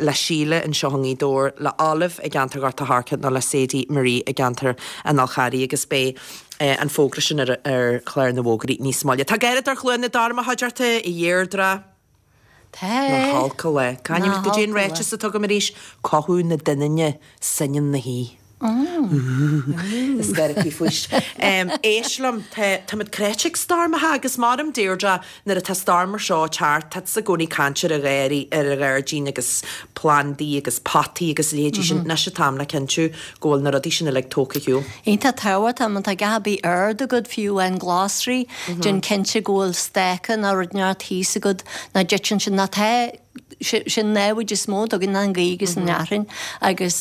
[SPEAKER 1] le Síle anseo i nGaoth Dobhair, le Olive i gceantar Ghort a' Choirce nó le Sadie Marie i gceantar an Fhál Charraigh agus beidh an fógra sin ar chlár na bhfógraí níos moille. Tá Gearóid ar Chluain na Dorm a chuideachta, a Dheirdre.
[SPEAKER 2] Tá.
[SPEAKER 1] Nach olc an lá. Cá ainm, goidé an ráiteas atá agam arís, cothú na doininne, soineann na haoi. Is gáire faoist. Éist liom, tá, táimid cráite ag stoirmeacha agus maram Deirdre, nuair atá stoirm mar seo ag teacht, tá tusa i gcónaí ag caint ar an gharraí, ar an ghairdín agus plandaí agus potaí agus a leithéidí sin. Anois an t-am le cinntiú go bhfuil na rudaí sin uilig tógtha ar shiúl.
[SPEAKER 5] Iontach tábhachtach, má tá a dhath ar bith ard agat, fiú amháin glasraí, déan cinnte go bhfuil stáca nó rud inteacht thíos agat, nach dtiteann siad, nó tá, sin namhaid is mó atá againn ná an ghaoth agus an fhearthainn agus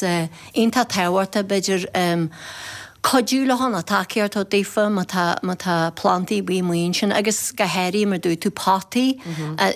[SPEAKER 5] iontach tábhachtach b'fhéidir cuidiú leo nó tacaíocht a thabhairt daofa má tá má tá plandaí ar bith amuigh ansin agus go háirithe mar dúirt tú potaí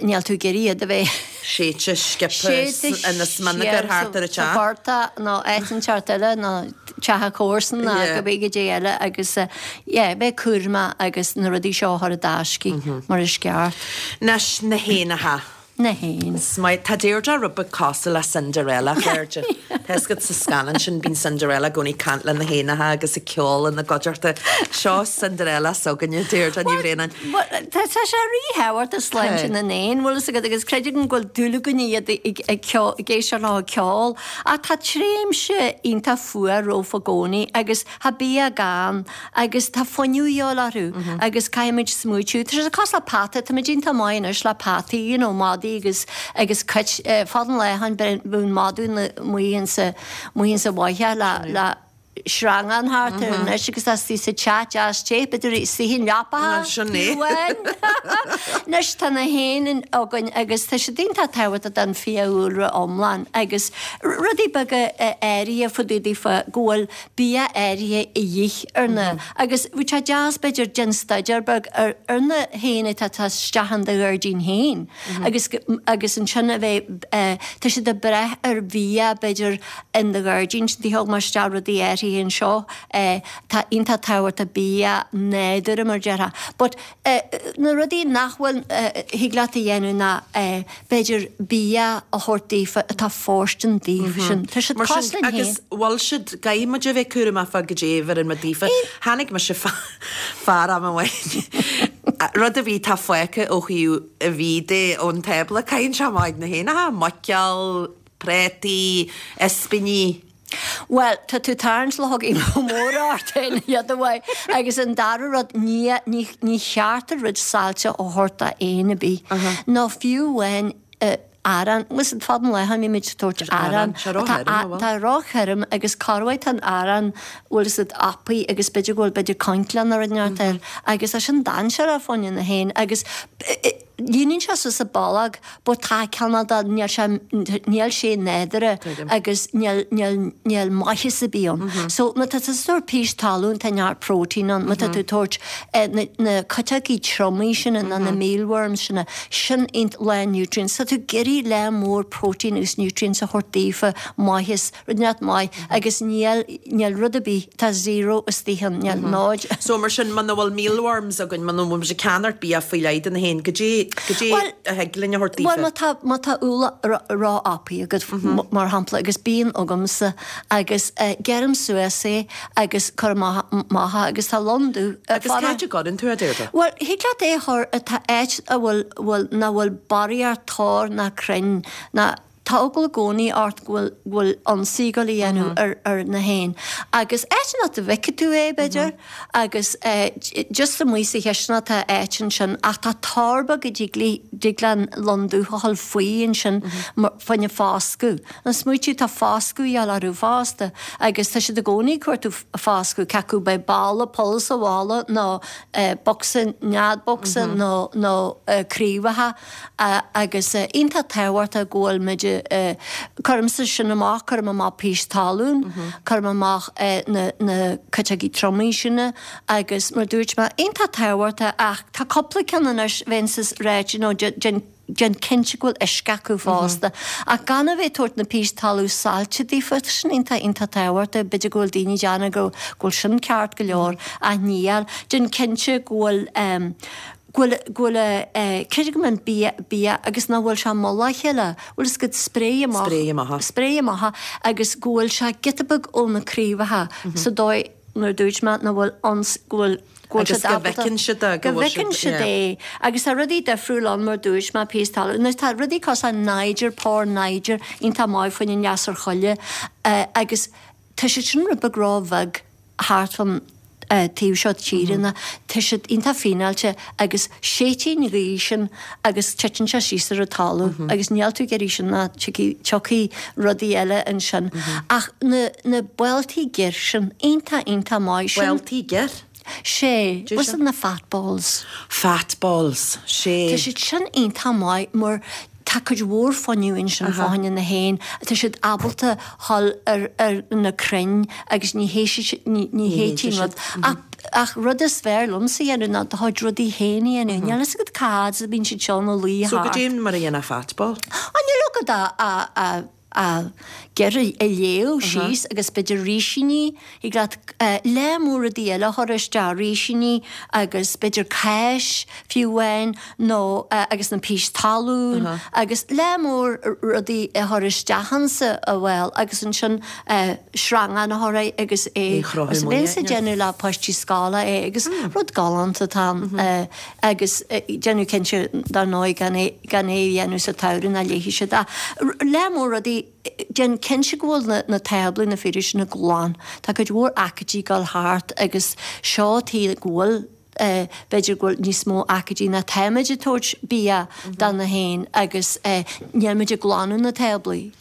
[SPEAKER 5] níl tú ag iarraidh iad a bheith
[SPEAKER 1] séidte sciobtha ina smionagar thart ar an teach.
[SPEAKER 5] sa phortach nó áit inteacht eile nó teach a comharsan nó cibé goidé eile agus yeah bheith cúramach agus na rudaí seo a chur i dtaisce mar is ceart.
[SPEAKER 1] Anois na héanacha.
[SPEAKER 5] Na héin.
[SPEAKER 1] Is maith. Tá Deirdre rud beag cosúil le Cinderella, a chairde. Tá fhios agat sa scannán sin, bíonn Cinderella i gcónaí ag caint le na héanacha agus ag ceol ina gcuideachta. Seo Cinderella s'againne, Deirdre Ní Bhraonáin.
[SPEAKER 5] Bhuel, tá sé ríthábhachtach sláinte na n-éan, bhfuil fhios agat, agus creidim go bhfuil dúil againne iad ag ag éisteacht leo ag ceol. Ach tá tréimhse iontach fuar romhainn i gcónaí agus Tá bia gann agus tá fuinneamh a dhíobháil orthu agus caithfimid smaoitiú. Tá sé cosúil le peata, táimid iontach maith anois le peataí, you know, madaí agus agus cait, fad an lae ó shin bheadh madadh amuigh insa amuigh insa bhfaiche le le sreangán thart air anois agus tá istigh sa teach deas te, b'fhéidir istigh i leapacha fiú amháin. Anois tá na héin againn agus tá siad iontach tábhachtach don fiadhúlra iomlán agus rudaí beaga áirithe fá dtaobh daofa go bhfuil bia áirithe a dhíth ar na agus bheadh sé deas b'fhéidir déan staidéar beag ar ar na héin atá tá isteach in do ghairdín féin agus agus ansin a bheith tá siad ag brath ar bhia b'fhéidir in do ghairdín sin thug mé isteach rudaí áirithe anseo tá iontach tábhachtach bia nádúrtha mar a déarfá but Na rudaí nach bhfuil, thig leat a dhéanamh ná b'fhéidir bia a thabhairt daofa atá fóirstean daofa sin. Tá siad
[SPEAKER 1] Mar sin,
[SPEAKER 5] cosúil linn
[SPEAKER 1] agus
[SPEAKER 5] féin.
[SPEAKER 1] bhfuil siad, caithfidh muid a bheith cúramach fá goidé a bheireann muid daofa. Chonaic mise fear am amháin, rud ar bith atá fágtha ó thaobh an bhídh de ón tábla, caitheann sé amach ag na héanacha, muiceoil, prátaí, ispíní.
[SPEAKER 5] Bhuel, tá tú ag tarraingt luchógaí móra ort féin, iad uaidh. Agus an dara rud, ní, ní, ní cheart an rud saillte a thabhairt d'éan ar bith. Nó fiú amháin arán. Listen, fad an lae ó shin bhí muid ag tabhairt arán.
[SPEAKER 1] Tá ró-thirim,
[SPEAKER 5] Tá ró-thirim agus corruair tá an arán, bhfuil fhios agat, apaí agus b'fhéidir go bhfuil b'fhéidir coincle nó rud inteacht air. Agus tá sin dainséarach fá choinne na héin agus líonann sé suas a bolg but tá cineál de, níl sé, níl sé nádúrtha agus níl, níl, níl maitheas ar bith ann. So má tá tú ag tabhairt pís talún tá neart protein ann, má tá tú ag tabhairt na, na cuiteogaí triomaigh sin nó na mealworms sin, sin iontach lán nutrients. Tá tú ag iarraidh lear mór protein agus nutrients a thabhairt daofa, maitheas, rud inteacht maith agus níl, níl rud ar bith, tá zero istigh ann, níl náid.
[SPEAKER 1] So mar sin, muna bhfuil mealworms againn, muna bhfuil muid ag ceannacht bia faoi leith do na héin, goidé, goidé a thig linn a thabhairt daofa?
[SPEAKER 5] Bhuel, má tá, má tá úlla ró-apaithe agat, mar shampla, agus bíonn agamsa, agus gearraim suas é agus cuirim amach é agus tá lon dubh
[SPEAKER 1] ar Agus cá háit a gcuireann tú é, Deirdre?
[SPEAKER 5] Bhuel, thig leat é a chur, tá áit a bhfuil, bhfuil, nach bhfuil barraíocht tor ná crainn ná, Tá eagla i gcónaí ort go bhfuil, go bhfuil ionsaí ag dul a dhéanamh ar, ar na héin. Agus áit nach bhfeicfidh tú é, b'fhéidir, agus just amuigh sa chisteanach tá áit ansin, ach tá tor beag a dtig le, dtig le an lon dubh a dhul faoi ansin fá choinne foscadh. Nó smaoitiú, tá foscadh a dhíobháil orthu fosta, agus tá siad i gcónaí ag cuartú foscadh, cé acu beidh balla, poll sa bhalla nó bocsa, nead bocsa nó, nó craobhacha. Agus iontach tábhachtach go bhfuil muid, cuirimse sin amach, cuirim amach pís talún, cuirim amach na na cuiteogaí triomaigh sin agus mar dúirt mé, iontach tábhachtach ach tá cúpla ceann anois bheinnse ag ráit, you know, déan déan cinnte go bhfuil uisce acu fosta. Ach gan a bheith ag tabhairt na pís talún saillte daofa, tá sin iontach iontach tábhachtach, b'fhéidir go bhfuil daoine ag déanamh go bhfuil sin ceart go leor ach níl. Déan cinnte go bhfuil go bhfuil, go bhfuil a, creidim go mbíonn bia, bia agus nach bhfuil sé i mullach a chéile, bhfuil fhios agat, spréigh amach,
[SPEAKER 1] Spréigh amach.
[SPEAKER 5] spréigh amach agus go bhfuil sé giota beag ó na craobhacha sa dóigh nuair a dúirt mé nach bhfuil ions, go bhfuil, go bhfuil
[SPEAKER 1] Agus
[SPEAKER 5] siad
[SPEAKER 1] go
[SPEAKER 5] ábalta,
[SPEAKER 1] bhfeiceann siad é,
[SPEAKER 5] go
[SPEAKER 1] go bhfuil
[SPEAKER 5] bhfeiceann
[SPEAKER 1] siad,
[SPEAKER 5] siad
[SPEAKER 1] yeah.
[SPEAKER 5] é agus tá rudaí difriúil ann mar dúirt mé, píos talún, anois tá rudaí cosúil le nyjer, pór nyjer, iontach maith fá choinne an lasair choille agus. Tá siad sin rud beag ró-bheag thart fán taobh seo tíre ná tá siad iontach fíneáilte agus séideann an ghaoth sin agus titeann sé síos ar an talamh agus níl tú ag iarraidh sin ná tiocfaidh rudaí eile ansin. Ach na na boltaí gir sin, iontach iontach maith.
[SPEAKER 1] Sin. Boltaí gir?
[SPEAKER 5] Sé, what's na fat balls?
[SPEAKER 1] Fat balls, sé.
[SPEAKER 5] Tá siad sin iontach maith mar tá cuid mhór fuinneamh ansin fá choinne na héin, tá siad ábalta dhul ar ar na crainn agus ní théiteann rud. Ach ach rud is fearr liomsa a dhéanamh ná do chuid rudaí féin a dhéanamh. Níl fhios agat cá fhad is a bíonn siad seo ina luí
[SPEAKER 1] thart. So goidé mar a dhéanfá fat ball?
[SPEAKER 5] Á níl agat ach a a gir a léamh síos agus b'fhéidir rísíní, thig leat lear mór rudaí eile a chur isteach, rísíní agus b'fhéidir cáis fiú amháin nó agus na pís talún agus lear mór rudaí a chur isteach insa bhall agus ansin sreangán a chur air agus é agus bheinnse ag déanamh le páistí scoile é agus rud galánta atá ann. agus déanamh cinnte dar ndóigh gan é gan é a dhéanamh sa tsamhradh ná léifidh siad ach lear mór rudaí déan cinnte go bhfuil na na táblaí na fíorais sin glan. Tá cuid mhór aicídí ag dul thart agus seo tuige go bhfuil eh b'fhéidir go bhfuil níos mó aicídí ná táimid ag tabhairt bia do na héin agus eh níl muid ag glanadh na táblaí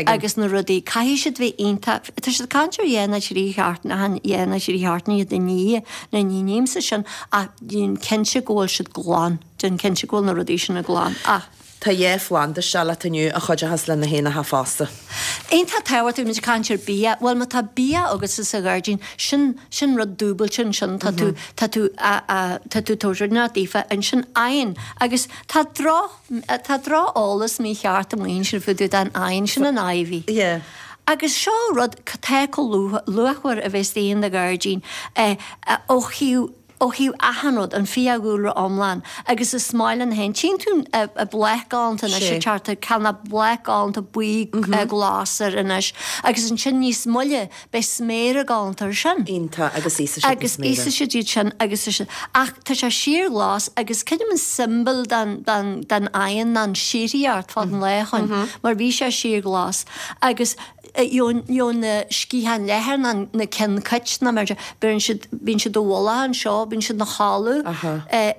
[SPEAKER 5] agus na rudaí. Caithfidh siad bheith iontach, tá siad ag caint ar dhá nó trí sheachtain, achan dhá nó trí sheachtain iad a ní, nó ní nímse sin ach déan cinnte go bhfuil siad glan, déan cinnte go bhfuil na rudaí sin glan ach.
[SPEAKER 1] Tá dhá phlanda isteach leat inniu a chuideochas le na héanacha fosta.
[SPEAKER 5] Iontach tábhachtach, muid ag caint ar bia, bhuel má tá bia agatsa sa ghairdín, sin, sin rud dúbailte ansin, tá tú, tá tú a, a, tá tú ag tabhairt rud inteacht daofa, ansin oigheann agus tá droch, Tá droch-eolas mícheart amuigh ansin fá dtaobh den oigheann, sin an ivy.
[SPEAKER 1] Yeah.
[SPEAKER 5] Agus seo rud atá chomh luachmhar a bheith istigh in do ghairdín ó thaobh ó thaobh achan rud, an fiadhúlra iomlán. Agus is maith le na héin. Tchíonn tú an bláth galánta anois ag teacht, tá na bláth galánta buí glas air anois. Agus ansin níos moille Beidh sméara galánta air sin.
[SPEAKER 1] Iontach, agus íosfaidh siad na
[SPEAKER 5] Agus
[SPEAKER 1] sméara.
[SPEAKER 5] íosfaidh siad iad sin agus is ach tá sé síorghlas agus creidim an tsiombail den den den oigheann ná an síoraíocht fad an lae chugainn mar bhí sé síorghlas agus gheobhaidh gheobhaidh na sciatháin leathair ná na cinn cait ná mar bíonn siad bíonn siad i bhfolach anseo bíonn siad ina chodladh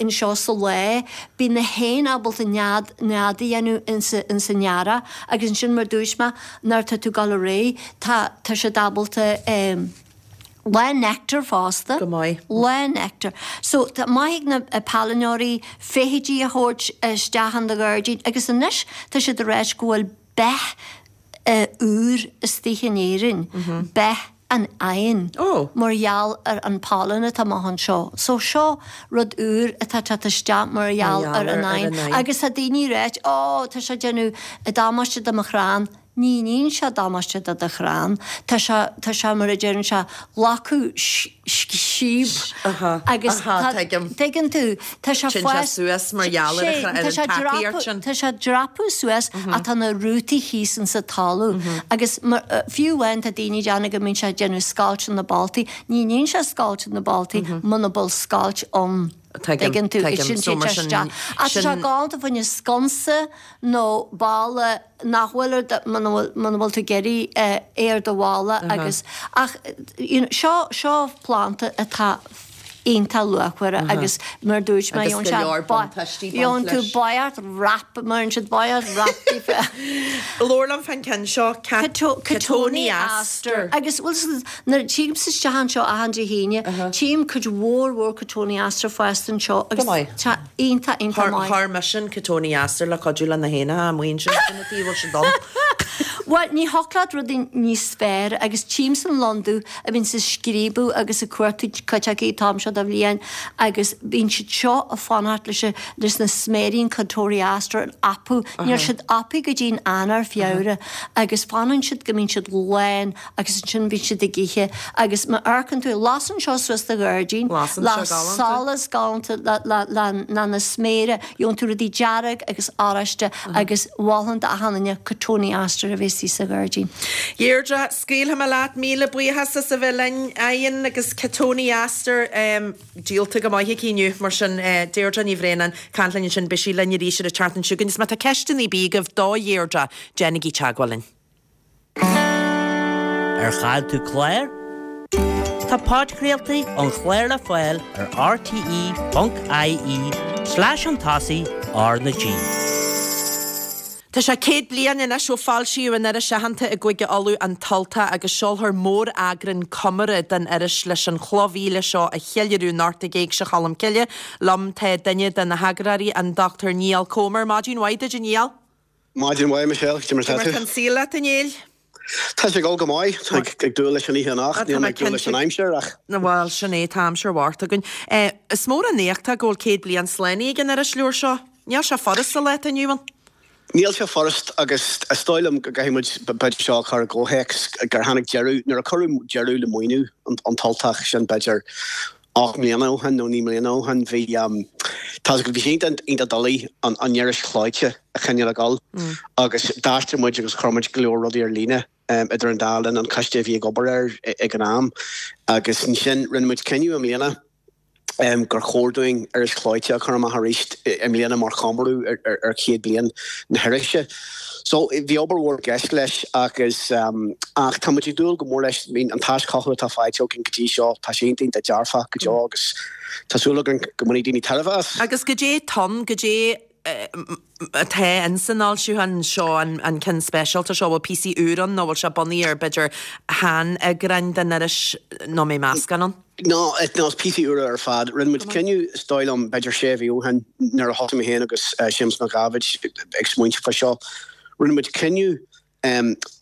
[SPEAKER 5] anseo sa lá bíonn na héin ábalta nead nead a dhéanamh insa insa earrach agus ansin mar dúirt mé nuair atá tú ag dul ar aghaidh, tá, tá siad ábalta eh lán nectar fosta.
[SPEAKER 1] Go maith.
[SPEAKER 5] Lán nectar. So tá maith ag na pailneoirí feithidí a thabhairt isteach in do ghairdín agus anois tá siad ag ráit go bhfuil beith eh úr istigh in Éirinn, beith an oighinn mar gheall ar an pollen atá amach anseo. So seo rud úr atá ag teacht isteach mar gheall ar an oigheann. Agus tá daoine ag ráit, Ó, tá sé ag déanamh damáiste do mo chrann. Ní níonn sé damáiste do do chrann. Tá sé, tá sé mar a deireann sé, glacadh síob agus tá, tuigeann tú, tá sé
[SPEAKER 1] Téann sé suas mar gheall ar an tacaíocht
[SPEAKER 5] sin. Tá sé ag dreapadh suas ach tá na rútaí thíos insa talamh agus fiú amháin tá daoine ag déanamh go mbíonn sé ag déanamh scoilt na boltaí. Ní níonn sé scoilt na boltaí muna bhfuil scoilt ann.
[SPEAKER 1] Tuigeann
[SPEAKER 5] tú? Sin téann sé isteach. Ach tá sé galánta fá choinne sconsa nó balla nach bhfuil ar do, muna bhfuil, muna bhfuil tú ag iarraidh é ar do bhalla agus, ach you know seo, seo planda atá iontach luachmhar agus mar dúirt mé
[SPEAKER 1] Agus go leor buntáistí
[SPEAKER 5] baint leis. Gheobhann tú boilgeocht wrap mar an siad boilgeocht wrap daofa.
[SPEAKER 1] Labhair liom fán ceann seo,
[SPEAKER 5] Cotoneaster. Agus bhuel nuair a tímse isteach anseo achan Dé hAoine, tchím cuid mhór mhór Cotoneaster fásta anseo agus tá iontach iontach maith.
[SPEAKER 1] Chuir mise an Cotoneaster le cuidiú le na héanacha amuigh ansin sin an taobh a bhfuil siad ann.
[SPEAKER 5] Bhuel ní thiocfadh leat rudaí níos fearr agus tchímse an lon dubh a bhíonns ag scríobadh agus ag cuartú cuid acu an t-am seo de bhliain agus bíonn siad seo ag fanacht leis leis na sméirí an Cotoneaster a fhapadh. Níl siad apaithe go dtí'n Eanáir, Feabhra agus fanann siad go mbíonn siad lán agus ansin bíonn siad ag ithe agus má amharcann tú, lasann seo suas do ghairdín, le solas galánta le na sméara, gheobhann tú rudaí dearg agus oráiste agus mholfainn d'achan duine Cotoneaster a bheith istigh sa ghairdín.
[SPEAKER 1] Deirdre, scaoilfidh mé leat, míle buíochas as a bheith linn. Oigheann agus Cotoneaster díolta go maith aici inniu, mar sin Deirdre Ní Bhraonáin ag caint linn ansin, beidh sí linn arís ar an tseachtain seo chugainn. Is má tá ceisteanna ar bith agaibh do Dheirdre, déanaigí teagmháil linn.
[SPEAKER 6] Ar chaill tú clár? Tá podchraoltaí an chláir le fáil ar rte.ie slash chun tosaigh R na G.
[SPEAKER 1] Tá sé 100 bliain anois ó foilsíodh an iris aitheanta i gCúige Uladh, An tUltach, agus seolfar móreagrán comóradh den iris leis an chlómhíle seo a cheiliúradh anocht ag Éigse Cholm Cille. Liom tá duine de na heagarthóirí, an Dr Niall Comer. Maidin mhaith duit, a Niall.
[SPEAKER 7] Maidin mhaith, Michelle. Cad é mar
[SPEAKER 1] atá tú? Cad é mar tá an saol leat, a Néill?
[SPEAKER 7] Tá sé ag dul go maith. Tá ag dúil leis an oíche anocht. Níl mé ag dúil leis an aimsir ach.
[SPEAKER 1] Bhuel, sin é, tá aimsir bhocht againn. Is mór an éacht é go bhfuil 100 bliain slánaithe ag an irisleabhar seo. Níl sé furast sa lá atá inniu ann.
[SPEAKER 7] Níl sé furast agus is dóigh liom go gcaithfidh muid b'fhéidir seo a chur i gcomhthéacs gur tháinig deireadh, nuair a cuireadh deireadh le maoiniú an tUltach, sin b'fhéidir 8 mbliana ó shin nó 9 mbliana ó shin, bhí, tá 's agat, bhí sé iontach, iontach doiligh an an iris chlóite a choinneáil ag dul agus d'aistrigh muid agus chuir muid go leor rudaí ar líne idir an dá linn, an coiste a bhí ag obair air ag an am agus ansin rinne muid cinneadh i mbliana gur chóir dúinn iris chlóite a chur amach arís i mbliana mar chomóradh ar chéad bliain na hirise. So bhí obair mhór i gceist leis agus ach tá muid ag dúil go mór leis. I mean an t-aischothú atá faighte againn go dtí seo, tá sé iontach iontach dearfach go deo agus tá súil againn go mbainfidh daoine tairbhe as.
[SPEAKER 1] Agus goidé atá ann, goidé atá in san fhoilseachán seo, an ceann speisialta seo, bhfuil píosaí úr ann nó bhfuil sé bunaithe ar b'fhéidir shean-eagráin den iris nó mbeidh meascán ann?
[SPEAKER 7] No, is píosaí úra ar fad. Rinne muid cinneadh, is dóigh liom, b'fhéidir sé mhí ó shin, nuair a thosaigh mé féin agus Séamus Mac Dháibhéid ag smaointeamh fá seo, rinne muid cinneadh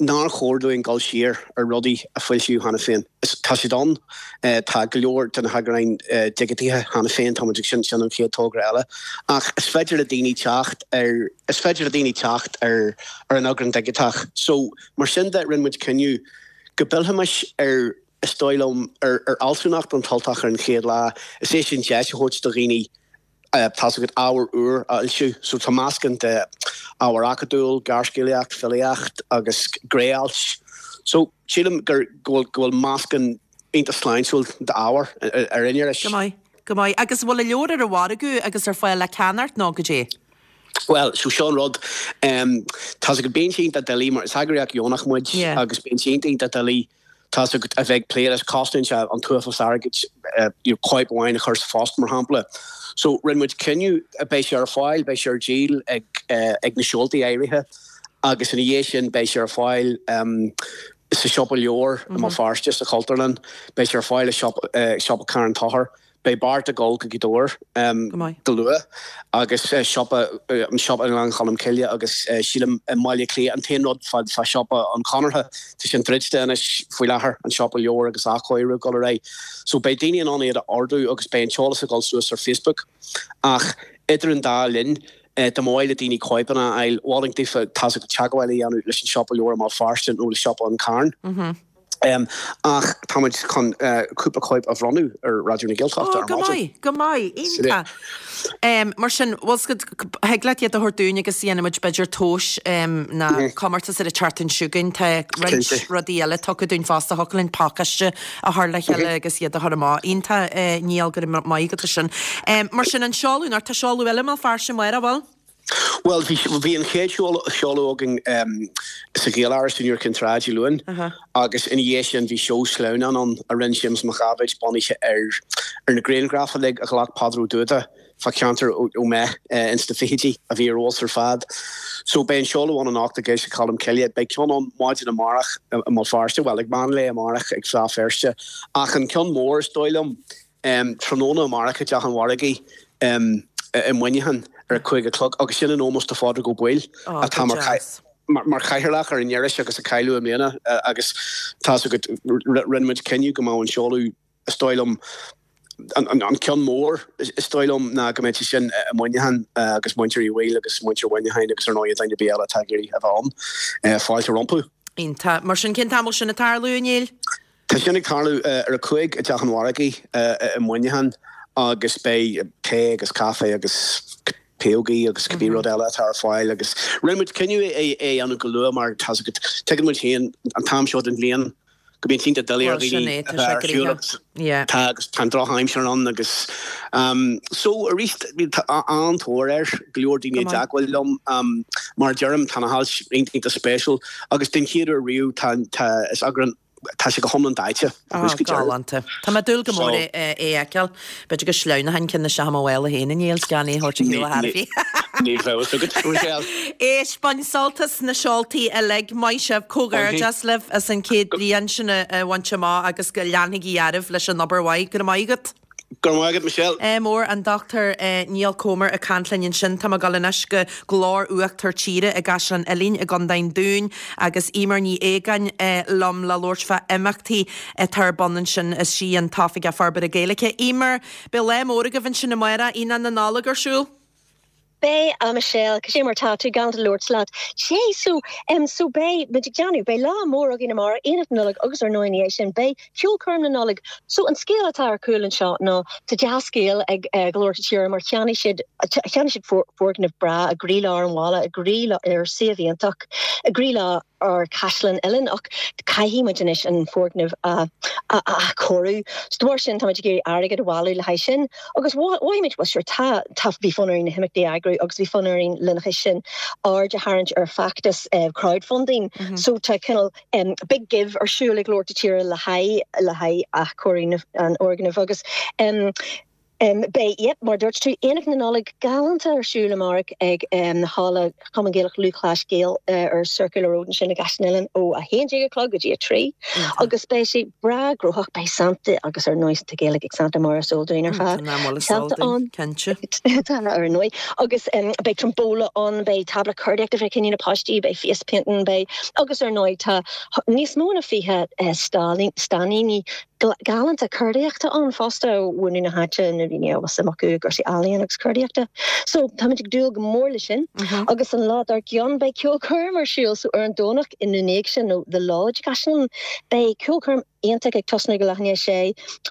[SPEAKER 7] nár chóir dúinn dul siar ar rudaí a foilsíodh cheana féin. Tá siad ann, tá go leor de na heagráin digitithe cheana féin, tá muid ag, sin an chéad togra eile. Ach is féidir le daoine teacht ar, is féidir le daoine teacht ar ar an eagrán digiteach. So, mar sin de, rinne muid cinneadh go bpillfimis ar, is dóigh liom, ar fhealsúnacht an tUltach ar an chéad lá, is é sin deis a thabhairt do dhaoine tá's agat, ábhar úr a fhoilsiú. So tá meascán de ábhar acadúil, gearrscéalaíocht, filíocht agus gné-ailt. So sílim gur, go bhfuil, go bhfuil meascán iontach sláintiúil d'ábhar ar an iris.
[SPEAKER 1] Go maith, go maith. Agus an bhfuil an leabhar ar an mhargadh agus ar fáil le ceannacht nó goidé?
[SPEAKER 7] Bhuel, so seo an rud, tá's agat, bíonn sé iontach doiligh mar is eagraíocht dheonach muid agus bíonn sé iontach iontach doiligh Tá's agat, a bheith ag plé leis, cosnaíonn sé an t-uafás airgid you know cóip amháin a chur sa phost, mar shampla. So rinne muid cinneadh, beidh sé ar fáil, beidh sé ar díol ag ag na seoltaí áirithe agus ina dhiaidh sin beidh sé ar fáil sa siopa leabhar i mBéal Feirste, sa Chultúrlann, beidh sé ar fáil i siopa Charn Tóchair. Beidh beart ag dul go Gaoth Dobhair go luath agus siopa, an siopa i nGleann Cholm Cille agus sílim i mBaile Átha Cliath. An t-aon rud fá siopa an Chonartha, tá sin druidte anois faoi láthair, an siopa leabhar agus athchóiriú ag dul ar aghaidh. So beidh daoine in ann iad a ordú agus beidh an t-eolas ag dul suas ar Facebook. Ach idir an dá linn, dá mba mhaith le daoine cóipeanna a fháil, mholfainn daofa tá's agat teagmháil a dhéanamh leis an siopa leabhar i mBéal Feirste nó le siopa an Charn. Ach tá muid chun cúpla cóip a bhronnadh ar Raidió na Gaeltachta
[SPEAKER 1] ar maidin. Ó, go maith, go maith, iontach. Mar sin, bhfuil 's agat, thig leat iad a thabhairt dúinn agus dhéanfaidh muid b'fhéidir tomhas nó comórtas ar an tseachtain seo chugainn. Tá roinnt rudaí eile tugtha dúinn fosta, thiocfadh linn pacáiste a chur le chéile agus iad a chur amach. Iontach, Niall, go raibh maith agat as sin. Mar sin, an seoladh, nó tá seoladh eile i mBéal Feirste amárach, bhfuil?
[SPEAKER 7] Bhuel, bhí, bhí an chéad seoladh againn sa Ghaeláras in Iúr Cinn Trá Dé Luain agus ina dhiaidh sin bhí seó sleamhnán ann a rinne Séamus Mac Dháibhéid bunaithe ar ar na grianghraif uilig a ghlac Peadar Ó Dúda fá cheantar Ó Méith ins na fichidí a bhí ar fheabhas ar fad. So beidh an seoladh ann anocht ag Éigse Cholm Cille. Beidh ceann ann maidin amárach i mBéal Feirste, bhuel ag meán lae amárach ag Fleadh Feirste. Ach an ceann mór is dóigh liom, Tráthnóna amárach i dTeach an Mhargaidh i Muineachán ar a 5 a chlog agus sin in ómós do Phádraig Ó Baoill atá mar chathaoirleach ar an iris agus a cailleadh i mbliana agus tá's agat rinne muid cinneadh go mbeadh an seoladh is dóigh liom an ceann mór is dóigh liom ná go mbeadh sé sin i Muineachán agus muintir Uí Bhaoill agus muintir Mhuineacháin agus ar ndóigh duine ar bith eile atá ag iarraidh a bheith ann fáilte rompu.
[SPEAKER 1] Iontach. Mar sin cén t-am a bhfuil sin ag tarlú, a Néill?
[SPEAKER 7] Tá sin ag tarlú ar a 5 i dTeach an Mhargaidh i Muineachán agus beidh tae agus caife agus piógaí agus cibé rud eile atá ar fáil agus rinne muid cinneadh é a dhéanamh go luath mar tá's agat, tuigeann muid féin an t-am seo den bhliain go mbíonn sé iontach doiligh ar dhaoine a bheith ar shiúl agus tá agus tá an drochaimsir ann agus so arís tá an-tóir air, go leor daoine i dteagmháil liom mar a deirim tá na hailt iontach spéisiúil agus den chéad uair riamh tá tá is eagrán. Tá sé go hiomlán daite ó thús go deireadh.
[SPEAKER 1] Galánta. Tá mé ag dúil go mór é a fheiceáil. B'fhéidir go sleamhnóchainn ceann isteach i mo mhála féin inné agus gan é a thabhairt ar shiúl ar chor ar bith.
[SPEAKER 7] Níl a fhios agat, Michelle.
[SPEAKER 1] Éist, bain sult as na seoltaí uilig. Maith sibh. Comhghairdeas libh as an chéad bliain sin a bhaint amach agus go leanfaigí oraibh leis an obair mhaith. Go raibh maith agat.
[SPEAKER 7] Go raibh maith agat, Michelle.
[SPEAKER 1] Ádh mór, an Dr Niall Comer ag caint linn ansin. Tá mé ag dul anois go Glór Uachtar Tíre i gCaisleán Uidhilín i gContae an Dúin agus Eimear Ní Aogáin liom le labhairt fá imeachtaí atá ar bun ansin. Is í an tOifigeach Forbartha Gaeilge. Eimear, beidh lá mór agaibh ansin amárach, Aonach na Nollag ar siúl.
[SPEAKER 8] Beidh, a Michelle, cad é mar tá tú, galánta labhairt leat. Sea, so, em, so beidh muid ag déanamh, beidh lá mór againn amárach, Aonach na Nollag agus ar ndóigh ina dhiaidh sin beidh Ceolchoirm na Nollag. So an scéal atá ar cúl anseo ná tá dea-scéal ag eh, Glór Tíre mar cheannaigh siad, cheannaigh siad foirgneamh breá i gcroílár an bhaile, i gcroílár, ar suíomh iontach, i gcroílár, ár Caisleán Uidhilín ach caithfidh muid anois an foirgneamh a athchóiriú. So de bharr sin táimid ag iarraidh airgead a bhailiú le haghaidh sin agus mhothaigh muid, bhuel sure tá, tá, bhí fonn orainn na himeachtaí a eagrú agus bhí fonn orainn lena chois sin aird a tharraingt ar feachtas crowdfunding. So tá cineál big give ar siúl ag Glór Tíre le haghaidh, le haghaidh athchóiriú an fhoirgnimh agus Beidh, yep, mar a dúirt tú, Aonach na Nollag galánta ar siúl amárach ag Halla Chumann Gaelach Lúthchleas Gael ar Circular Road ansin i gCaisleán Uidhilín ó 11 a chlog go dtí 3 agus beidh sé breá gnóthach, beidh Santa agus ar ndóigh tá Gaeilge ag Santa mar is eol dúinn ar fad.
[SPEAKER 1] Santa ann. Cinnte.
[SPEAKER 8] Tá ar ndóigh. Agus beidh tombola ann, beidh tábla ceardaíochta fá choinne na páistí, beidh face painting, beidh agus ar ndóigh tá níos mó ná 20 stainníní galánta ceardaíochta ann fosta ó bhunadh na háite na daoine a bhfuil suim acu i gcúrsaí ealaíon agus ceardaíochta. So táimid ag dúil go mór leis sin. Agus an lá dár gcionn beidh ceolchoirm ar siúl so ar an Domhnach ina ndiaidh sin nó The Lodge i gCaisleán beidh ceolchoirm iontach ag tosnú go leath i ndiaidh a sé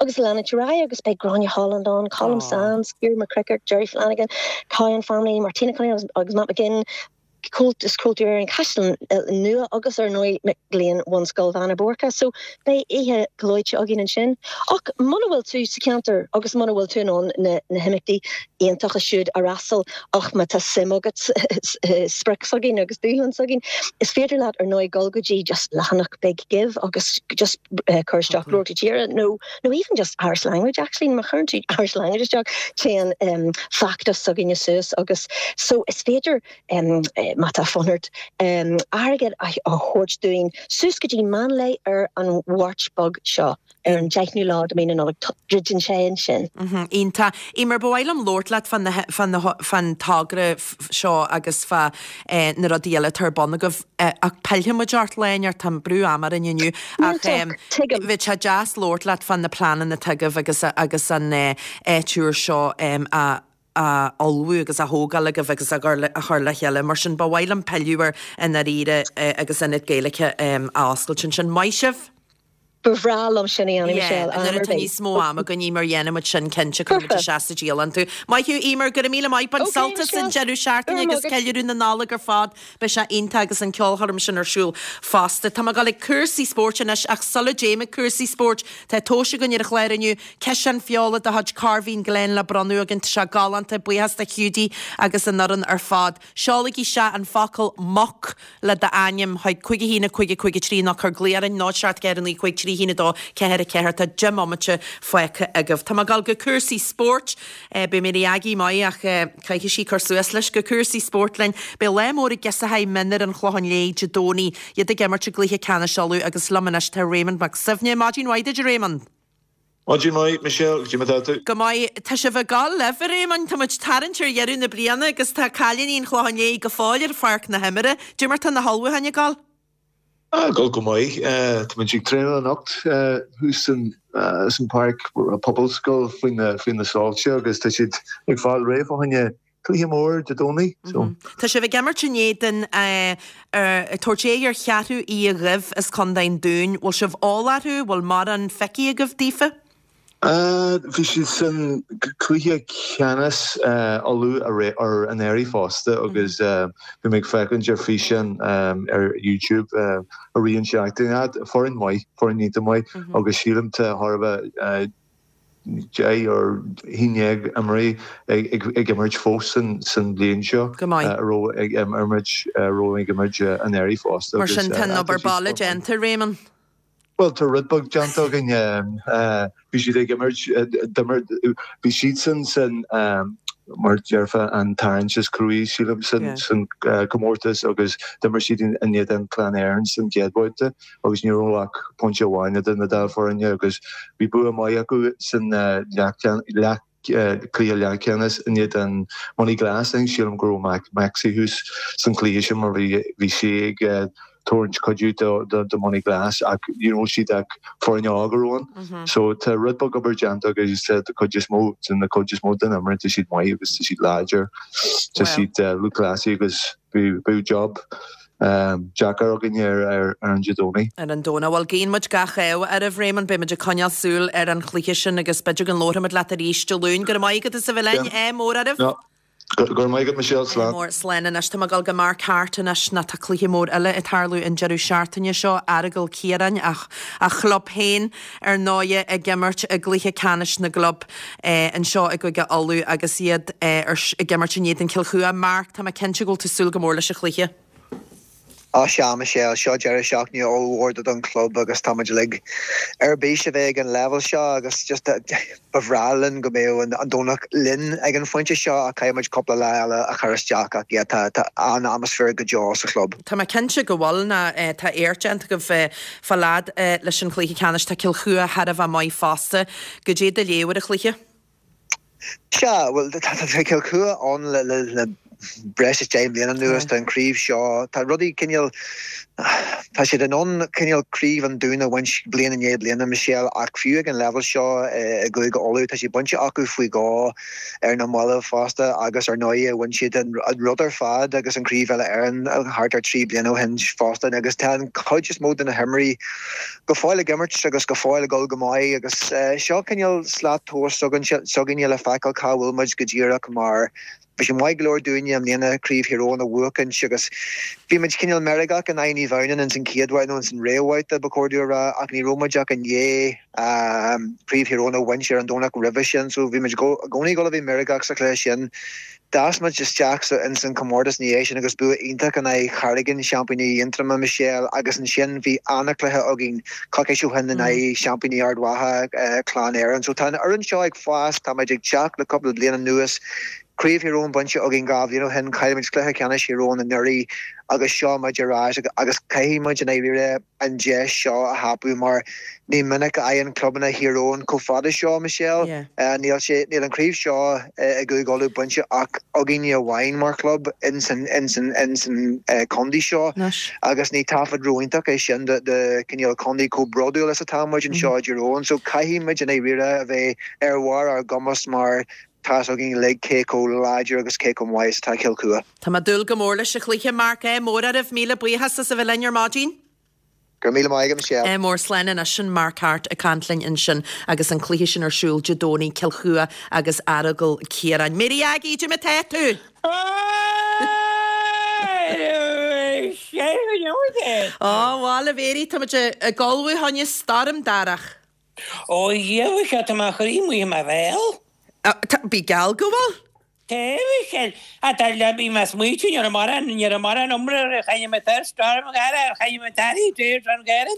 [SPEAKER 8] agus leanúint ar aghaidh agus beidh Gráinne Holland ann, Colm Sands, Ciara McCrickard, Jerry Flanagan, Cowen Family, Martina Cunningham agus Matt McGinn. Comhaltas Cultúir Éireann Caisleán Nua agus ar ndóigh mic léinn Bhunscoil Bheanna Boirche. So beidh oíche ghleoite againn ansin. Ach muna bhfuil tú sa cheantar agus muna bhfuil tú in ann na na himeachtaí iontacha siúd a fhreastal ach má tá suim agat i sprioc s'againn agus dúshlán s'againn, is féidir leat ar ndóigh dul go dtí just leathanach Big Give agus just cur isteach Glór Tíre nó nó even just Irish language actually má chuireann tú Irish language isteach téann feachtas s'againne suas agus so is féidir má tá fonn ort airgead a thabhairt dúinn suas go dtí meán lae ar an Mháirt beag seo ar an deichiú lá de mhí na Nollag druideann sé ansin.
[SPEAKER 1] Iontach. Eimear, ba mhaith liom labhairt leat fán togra seo agus fá na rudaí eile atá ar bun agaibh ach pillfidh muid ort lá inteacht, tá brú ama orainn inniu ach bheadh sé deas labhairt leat fá na pleananna atá agaibh agus agus an áit úr seo a á ullmhú agus á thógáil agaibh agus á chur le chéile. Mar sin, ba mhaith liom pilleadh air i ndáiríre agus Ionad Gaeilge a oscailt ansin. Maith sibh!
[SPEAKER 8] Ba bhreá liom sin a dhéanamh,
[SPEAKER 1] Michelle, am ar bith. Nuair atá níos mó ama againn, Eimear, dhéanfaidh muid sin cinnte, cuirfidh muid isteach sa dialann tú. Maith thú, Eimear, go raibh míle maith. Bain sult as an deireadh seachtaine agus ceiliúradh na Nollag ar fad. Beidh sé iontach agus an ceolchoirm sin ar siúl fosta. Tá mé ag dul ag cúrsaí spóirt anois ach sula dtéim ag cúrsaí spóirt, tá tomhais againn ar an chlár inniu, ciseán feola de chuid Corveen Glen le bronnadh againn. Tá sé galánta, buíochas do Hiúdaí agus an fhoireann ar fad. Seolaigí isteach an focal 'muc' le d'ainm chuig 5 1 5 5 3 nó cuir glao orainn 0 7 4 9 5 3 1 2 4 4 Tá 10 mbomaite fágtha agaibh. Tá mé ag dul go cúrsaí spóirt. Beidh Mary Aggie maith ach caithfidh sí cur suas leis. Go cúrsaí spóirt linn. Beidh lá mór ag Giosachai Mionúir an Chlocháin Léith Dé Domhnaigh. Iad ag imirt i gcluiche ceannais Uladh agus liom anois tá Raymond Mac Suibhne. Maidin mhaith duit a Raymond.
[SPEAKER 9] Maidin mhaith, Michelle. Cad é mar atá tú?
[SPEAKER 1] Go maith. Tá sibh ag gabháil libh, a Réamoinn. Tá muid tarraingt ar dheireadh na bliana agus tá cailíní an Chlocháin Léith go fóill ar pháirc na himeartha. Cad é mar tá na hullmhúcháin ag gabháil?
[SPEAKER 9] Ag gabháil go maith. Tá muid ag traenáil anocht thuas san páirc Pobalscoil faoi na soilse agus tá siad ag fáil réidh fá choinne cluiche mór Dé Domhnaigh. So.
[SPEAKER 1] Tá sibh ag imirt in éadan ag tabhairt aghaidh ar Cheathrú Uí Dhuibh as Contae an Dúin. Bhfuil sibh eolach orthu? Bhfuil mórán feicthe agaibh daofa?
[SPEAKER 9] Bhí siad san cluiche ceannais Uladh ar anuraidh fosta agus bhí mé ag féachaint ar físeán ar YouTube i rith an seachtain. Foireann maith, foireann iontach maith agus sílim tá thar a bheith 10 or 11 imreoirí ag imirt fós san bhliain seo a raibh ag imirt a raibh ag imirt anuraidh fosta.
[SPEAKER 1] Mar sin tá an obair baile déanta, Réamonn.
[SPEAKER 9] Bhuel, tá rud beag déanta againn. Bhí siad ag imirt, d'imir, bhí siadsan san, mar déarfá, an tarraingt is cruaí, sílim, san, san comórtas agus d'imir siad in éadan Clann Éireann san gcéad bhabhta agus ní raibh ach pointe amháin idir na dá foirne agus bhí bua maith acu san leath, cluiche leathcheannais in éadan Moneyglass. Sílim go raibh Maxi thuas san chluiche sin mar bhí bhí sé ag tabhairt cuidiú do do Moneyglass ach ní raibh siad ach foireann óg a raibh ann. So tá rud beag obair déanta agus tá cuid is mó den cuid is mó den imreoirí tá siad maith agus tá siad láidir. Tá siad lúthchleasaí agus beidh job deacair againn ar an Dé Domhnaigh.
[SPEAKER 1] Ar an Domhnach. Bhuel, guíonn muid gach ádh oraibh, Raymond. Beidh muid ag coinneáil súil ar an chluiche sin agus b'fhéidir go nglóirfimid leat arís Dé Luain. Go raibh maith agat as a bheith linn. Ádh mór oraibh.
[SPEAKER 9] Go raibh maith agat, Michelle.
[SPEAKER 1] Slán. Ádh mór. Slán anois. Tá mé ag dul go Mark Harte anois nó tá cluiche mór eile ag tarlú an deireadh seachtaine seo, Aireagal Ciaráin, a chlub féin, ar ndóighe, ag imirt i gcluiche ceannais na gclub anseo i gCúige Uladh agus iad ag imirt in éadan Cill Chua. Mark, tá mé cinnte go bhfuil tú ag súil go mór leis an chluiche.
[SPEAKER 10] Á sea, Michelle, seo deireadh seachtaine ollmhór don chlub agus tá muid uilig ar bís a bheith ag an leibhéal seo agus just ba bhreá linn go mbeadh an Domhnach linn ag an phointe seo ach caithfidh muid cúpla lá eile a chur isteach ach yeah tá tá an-atmaisféar go deo sa chlub.
[SPEAKER 1] Tá mé cinnte go bhfuil nó tá éacht déanta agaibh fá lead leis an chluiche ceannais. Tá Cill Chua thar a bheith maith fosta. Goidé do léamh ar an chluiche?
[SPEAKER 10] Sea, bhuel, tá Cill Chua ann le breis is 10 mbliana anuas, tá an chraobh seo, tá rudaí cineál, tá siad in ann cineál craobh an Dúin a bhaint bliain i ndiaidh bliana, Michelle, ach fiú ag an leibhéal seo i gCúige Uladh, tá sé bainte acu faoi dhó ar na mallaibh fosta agus ar ndóigh bhain siad an rud ar fad agus an Craobh Uile-Éireann thart ar 3 bliana ó shin fosta agus tá an chuid is mó de na himreoirí go fóill ag imirt agus go fóill ag dul go maith agus seo cineál slat tomhais s'againne le feiceáil cá bhfuil muid go díreach mar bhí sé maith go leor dúinne i mbliana Craobh Thír Eoghain a bhuachaint agus bhí muid cineál meirgeach in aghaidh Naomh Adhamhnáin ins an chéad bhabhta nó ins an réamhbhabhta ba chóir domh a rá ach ní raibh muid ach i ndiaidh Craobh Thír Eoghain a bhaint ar an Domhnach roimhe sin so bhí muid i gcónaí ag dul a bheith meirgeach sa chluiche sin. D'fhás muid isteach ins an chomórtas ina dhiaidh sin agus bua iontach in aghaidh Charraigín, seaimpíní Aontroma, Michelle, agus ansin bhí ana-chluiche againn coicís ó shin in aghaidh seaimpíní Ard Mhacha, Clann Éireann. So tá an fhoireann seo ag fás, tá muid ag teacht le cúpla bliain anuas. Craobh Thír Eoghain bainte againn 2 bhliain ó shin, chaill muid cluiche ceannais Thír Eoghain anuraidh agus seo muid ar ais agus caithfidh muid i ndáiríre an deis seo a thapú mar ní minic a fhaigheann clubanna Thír Eoghain chomh fada seo, Michelle. Níl sé, níl an chraobh seo i gCúige Uladh bainte ach againne amháin mar chlub ins an, ins an, ins an contae seo agus ní taifead ró-iontach é sin do, do cineál contae chomh bródúil is atá muid anseo i dTír Eoghain. So caithfidh muid i ndáiríre a bheith ar bharr ár gcumas mar tá's againn uilig cé chomh láidir agus cé chomh maith is atá Cill Chua.
[SPEAKER 1] Tá mé ag dúil go mór leis an chluiche, Mark. Ádh mór oraibh. Míle buíochas as a bheith linn ar maidin.
[SPEAKER 10] Go raibh míle maith agat, Michelle.
[SPEAKER 1] Ádh mór. Slán anois. Sin Mark Harte ag caint linn ansin agus an cluiche sin ar siúl Dé Domhnaigh, Cill Chua agus Aireagal Ciaráin. Mary Aggie, goidé mar atá tú? Á, bhuel, a Mhary, tá muid ag ullmhú fá choinne stoirm darach.
[SPEAKER 11] Ó, a Dhia, Mhichelle, tá mo chroí amuigh i mo bhéal.
[SPEAKER 1] Bí geall go bhfuil.
[SPEAKER 11] Tá, a Mhichelle. Ach dar le, bhí mé ag smaoitiú, ní raibh mórán, ní raibh mórán iomrá ar chaine mé tar, storm ghaire ar chaine mé tarí, dréir an ghaire.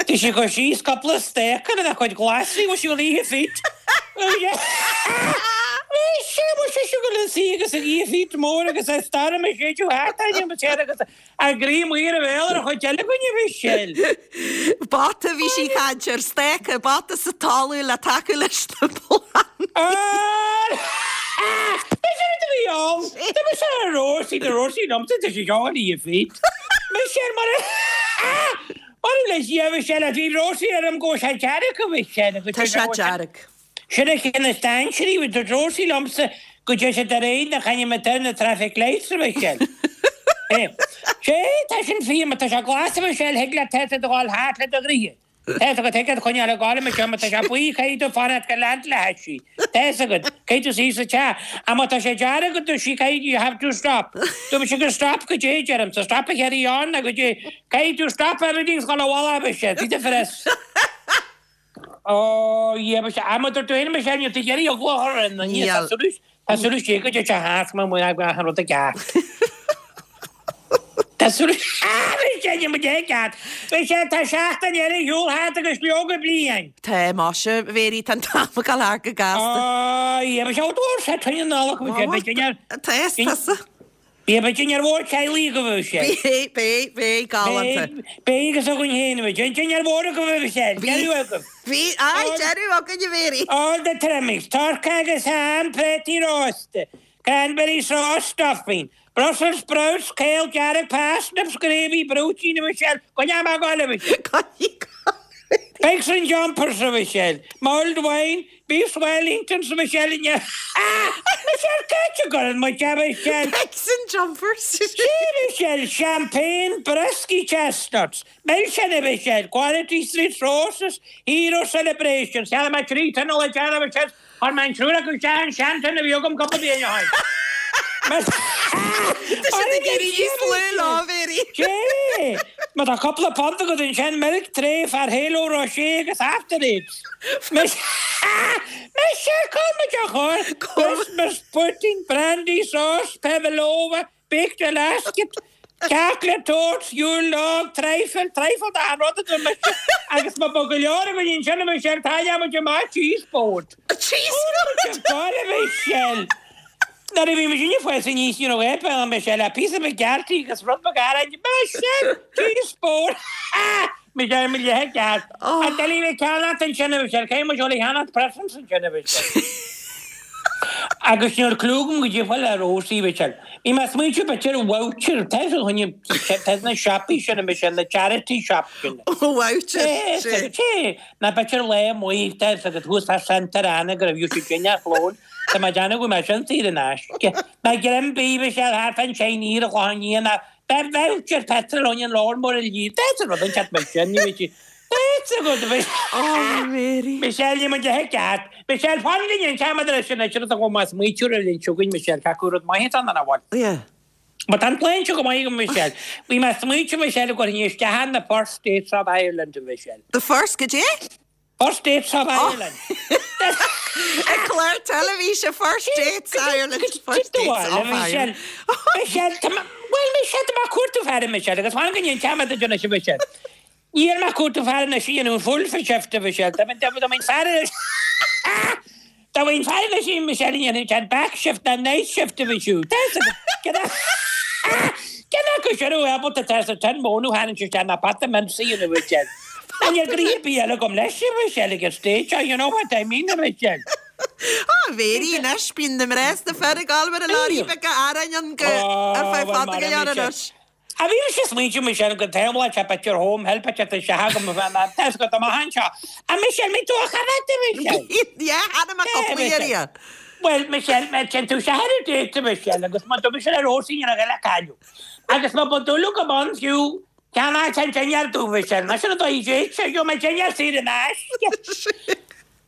[SPEAKER 11] Tá sí ag cur síos cúpla stáca lena cuid glasraí, bhfuil sí ag ithe fít. Bhí sé, bhfuil sé siúl an suí agus ag ithe fít mór agus a storm ag séideadh thart orainn, agus A gcroí amuigh ar a bhéal ar an chuid eile againn, a Mhichelle.
[SPEAKER 1] Bata bhí sí ag caint ar stáca, bata sa talamh le tacú leis na plandaí.
[SPEAKER 11] Mise rud a bhí ann. Tá mise ar Róisín, tá Róisín liomsa, tá sí seo ag ithe fít. Michelle mar a Mar a leis a Mhichelle, bhí Róisín orm go bhfuil sé dearg a Mhichelle.
[SPEAKER 1] Tá sé dearg.
[SPEAKER 11] Sin é ceann is dainséaraí, bhí dúirt Róisín liomsa go dtéann siad ar aghaidh nach ainm atá ar na traffic lights a Mhichelle. Sé, tá sin fíor, má tá sé glas a Mhichelle, thig leat tá tú ag gabháil thart le do ghraithe. Tá fhios agat, thig leat coinneáil ag gabháil a Mhichelle, má tá sé buí, caithfidh tú fanacht go leant le hais í. Tá fhios agat, caithfidh tú suí sa teach. Ach má tá sé dearg a dúirt sí, caithfidh, you have to stop. Dúirt mise go stop goidé, deirimse, stop a carry on, nó goidé, caithfidh tú stop everything 's gabháil abhaile a Mhichelle, bhí difference. Ó, yeah, but I'm a dúirt tú féin Michelle, níl tú ag iarraidh eagla a chur ar aon duine, tá súil, tá súil istigh go dté sé thart mar muid ag achan rud i gceart. Tá súil, ah, Michelle! Michelle, níl muid ag ceart. Michelle, tá seachtain eile ar shiúl thart agus leoga bliain.
[SPEAKER 1] Tá, muise, a Mhéirí, tá an t-am ag dul thart go gasta.
[SPEAKER 11] Á, yeah, Michelle, dúirt sé tine Nollag, Michelle, beidh dinnéar.
[SPEAKER 1] Tá, is tusa.
[SPEAKER 11] Beidh, beidh dinnéar mhór teaghlaigh agaibh, a Mhichelle.
[SPEAKER 1] Beidh, beidh, beidh, galánta.
[SPEAKER 11] Beidh, beidh agus againn féin, a Mhichelle. Dinnéar mhór agaibh, a Mhichelle. Deireadh agaibh.
[SPEAKER 1] Bhí, aye, deireadh againn, a Mhéirí.
[SPEAKER 11] All the trimmings, turkey agus ham, préataí rósta, cranberry sauce, stuffing, Brussels sprouts, céol dearg, parsnips, gravy, brúitín, a Mhichelle. Coinneoidh mé ag goil, a Mhichelle.
[SPEAKER 1] Coinnigh ag goil.
[SPEAKER 11] Pigs in jumpers, a Mhichelle. Mulled wine, beef Wellingtons, a Mhichelle. Michelle, cá háit a gcuireann muid é, a Mhichelle?
[SPEAKER 1] Pigs in jumpers.
[SPEAKER 11] Sea, a Mhichelle, champagne, brioscaí chestnuts, milseáin, a Mhichelle, Quality Street roses, Hero celebrations, Cheannaigh mé 3 tin le déanamh, a Mhichelle. Chuir mé an triúr acu isteach an seantin a bhí agam cúpla bliain ó shin.
[SPEAKER 1] Tá siad ag éirí níos lú lá, a Mhéirí.
[SPEAKER 11] Sea! Má tá cúpla punt agat ansin, milk tray, Ferrero Rocher agus After Eights. Mise, cá bhfuil muid á chur? Christmas pudding, brandy sauce, pavlova, Baked Alaska, chocolate torte, Yule log, trifle, trifle d'achan rud a dúirt mise agus má ba go leor againn ansin a Michelle, táille muid amach cheese board.
[SPEAKER 1] Cheese board!
[SPEAKER 11] Bhuel a Michelle, nuair a bhí muid ag fás aníos ní raibh aon a Michelle ach píosa beag gearrthaí agus rud beag aráin, Michelle, cheese board! Michelle, mo leithéid ceart. A Dilly bhí ceannacht ansin a Michelle, caithfidh muid dul a cheannacht presents ansin a Michelle. Agus níl clue agam goidé fá le Rosie, Michelle. Bhí mé ag smaointiú b'fhéidir voucher, tá a choinne, tá na siopaí sin a Michelle, na charity shop sin.
[SPEAKER 1] Voucher,
[SPEAKER 11] sé. Sé, ná b'fhéidir lá amuigh, tá a fhios agat thuas tá Santa Ana go raibh siad dinnéar lóin, tá mé ag déanamh go mbeidh mé sin saor in aisce. Ná greim bídh Michelle thart fán tsein ar an Chlochán Liath ná Beidh voucher petrol ann an leabhar mór a líon. That's rud an ceart Michelle, ní bheidh sí. That's a good bit.
[SPEAKER 1] Oh, Mary.
[SPEAKER 11] Michelle, ní muid a ceart. Michelle, fan go ndéan ceamad leis an oidear atá chomh maith smaoitiúr ar linn chugainn, Michelle, tá cú rud maith atá ann a bhfuil.
[SPEAKER 1] Yeah.
[SPEAKER 11] Má tá an plean seo go maith agam, Michelle. Bhí mé ag smaoitiú, Michelle, go gcuirfinn isteach ar na First Dates of Ireland, Michelle.
[SPEAKER 1] The first, goidé?
[SPEAKER 11] First Dates of Ireland.
[SPEAKER 1] Ag clár teilifíse First Dates Ireland. First Dates of Ireland.
[SPEAKER 11] Michelle, tá mé, bhuel Michelle, tá mé ag cuartú fear Michelle agus fan go ndéan ceamad a déanamh Michelle. Níl mé ag cuartú fear anois a dhéanamh an full shift Michelle, tá mé, tá mé fear anois. Dá mbeinn fear anois a Michelle a dhéanfaidh an back shift ná night shift a bhí siúd. Cén acu sin a bheadh ábalta tá sa tin móna tharraingt isteach ná pota mince a dhéanamh Michelle. Ná níl gnoithe ar bith eile agam leis a Michelle ag an stage seo, you know what I mean a Michelle.
[SPEAKER 1] Á, Mhéirí, anois, bíonn na mná is na fir ag gabháil mar a leoraí beaga aráin ann go ar feadh fada go leor anois.
[SPEAKER 11] A bhí mise ag smaointiú Michelle go dtaobh sé b'fhéidir home help a teacht isteach agam a bheith mar tá 'fhios agat amach anseo. A Michelle, mbeidh tú á chaitheamh a Michelle?
[SPEAKER 1] Yeah, cheana mé cúpla iarraidh.
[SPEAKER 11] Bhuel Michelle, má téann tú isteach ar an date a Michelle agus má dúirt mise le Róisín ar a ghoil a cailleadh. Agus má ba dul go bun fiú ceann an dinnéar domh Michelle, ná sin an dóigh date seo, gheobhaidh mé dinnéar saor in aisce.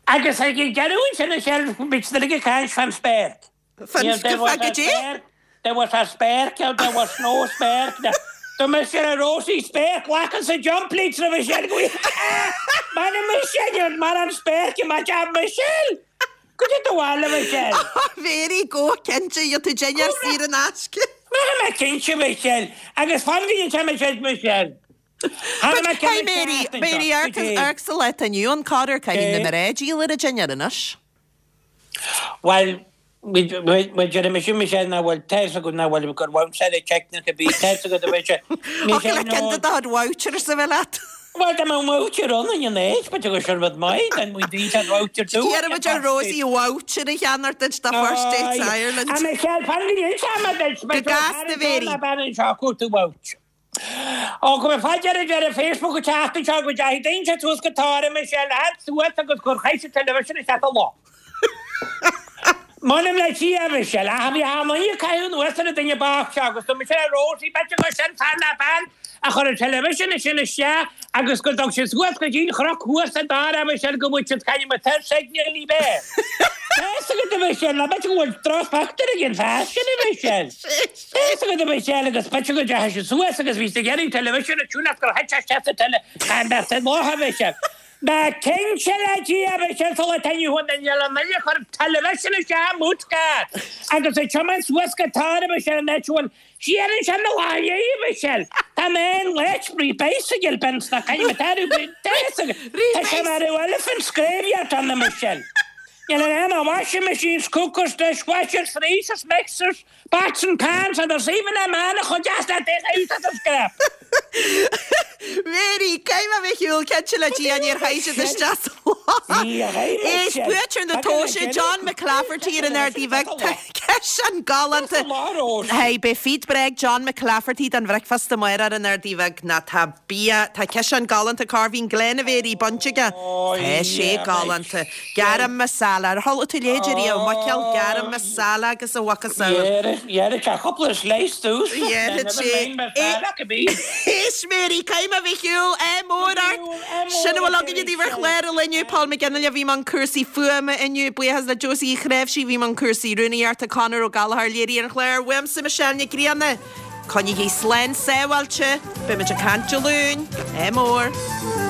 [SPEAKER 11] Agus ag an deireadh ansin Michelle, bhí siad uilig ag caint fán spéirc.
[SPEAKER 1] Fan goidé?
[SPEAKER 11] There was a spéirc there was no spéirc Do mise le Rosie spéirc glacann sa jump leads roimh sin go Mar a Michelle mar an spéirc i ma Michelle! Goidé do bhaile Michelle?
[SPEAKER 1] Very go cinnte gheobhaidh tú dinnéar saor in aisce.
[SPEAKER 11] Mar mé cinnte Michelle agus fan go ndéan Michelle Michelle.
[SPEAKER 1] But hey Mary, Mary amharc sa lá atá inniu ann corruair caithfidh na mná díol ar an dinnéar anois.
[SPEAKER 11] Bhuel, bhuel, deir mise, mise nach bhfuil, tá fhios agat nach bhfuil gur bhounce ar an teicnic a bhí, tá fhios agat a bheidh sé,
[SPEAKER 1] mise Thig le ceann de do chuid vouchers a bheith leat.
[SPEAKER 11] Bhuel, dá mbeadh voucher ann in an áit, b'fhéidir gur sin rud maith, den muid daoine an voucher dúinn.
[SPEAKER 1] Iarrfaidh muid ar Rosie voucher a cheannacht duit do First Dates Ireland.
[SPEAKER 11] A Michelle, fan go ndéanfaidh mé duit,
[SPEAKER 1] Go gasta, Mary.
[SPEAKER 11] Bean anseo ag cuartú voucher. Ó, go mbeidh fá deireadh deireadh Facebook an tseachtain seo go dteachaigh daoine suas go Tara Michelle fhad suas agus gur chaith siad television isteach sa loch. M'anam le Dia, a Mhichelle, ach bhí achan duine ag caitheamh anuas ar an duine bocht seo agus do Michelle Rosie, b'fhéidir gur sin fear ná bean a chuir an television sin isteach agus go dtug siad suas go dtí an chnoc thuas sa dara, a Mhichelle, go bhfuil siad caithfidh mo tar signal ní bheidh. Tá fhios agat, a Mhichelle, ná b'fhéidir go bhfuil drochphictiúr ag an fear sin, a Mhichelle. Tá fhios agat, a Mhichelle, agus b'fhéidir go dteachaigh siad suas agus bhí siad ag iarraidh an television a tiúnáil gur thit sé isteach sa tele, cha mbeadh sa loch, a Mhichelle. Ná cinnte le Dia, a Mhichelle, sula dtaitneodh an duine le nduine a chuir television isteach i mboot car agus ag tiomáint suas go Tara, a Mhichelle, an áit a bhfuil siar ansin na lámha, a Mhichelle. Tá. Tá mé in leis rí bicycle bins na caithfidh mé tarú Tá sé mar a elephant graveyard ann a Michelle. Níl in ann washing machines, cookers, dishwashers, freezers, mixers, Pots and pans and there's even a man a chuid as that bit out of the scrap.
[SPEAKER 1] Mary, Caithfidh mé bheith ar shiúl, cinnte le Dia níor chaith siad isteach sa loch. Éist, buaiteoir na tomhaise, John McClafferty ar an Ardaidh Bhig, tá ciseán galánta. Hey, beidh feed breá ag John McClafferty don bhricfeasta amárach ar an Ardaidh Bhig. Ná tá bia, tá ciseán galánta Corveen Glen a Mhéirí bainte aige. Tá sé galánta. Garam masala. Ar chuala tú a leithéid ariamh? Muiceall garam masala agus a mhacasamhail.
[SPEAKER 11] Dhearfaidh sé cúpla slice domhsa.
[SPEAKER 1] Dhearfaidh sé. Éist Mary, caithfidh mé a bheith ar shiúl. Ádh mór ort. Sin a bhfuil againne daoibh ar chlár an lae inniu. Paul McGinley a bhí i mbun cúrsaí fuaime inniu. Buíochas le Josie Uí Chnáimhsí a bhí i mbun cúrsaí rúnaíochta. Conor Ó Gallchóir a léirigh an clár. Uaimse Michelle Nic Grianna. Coinnígí slán sábháilte. Beidh muid ag caint Dé Luain. Ádh mór.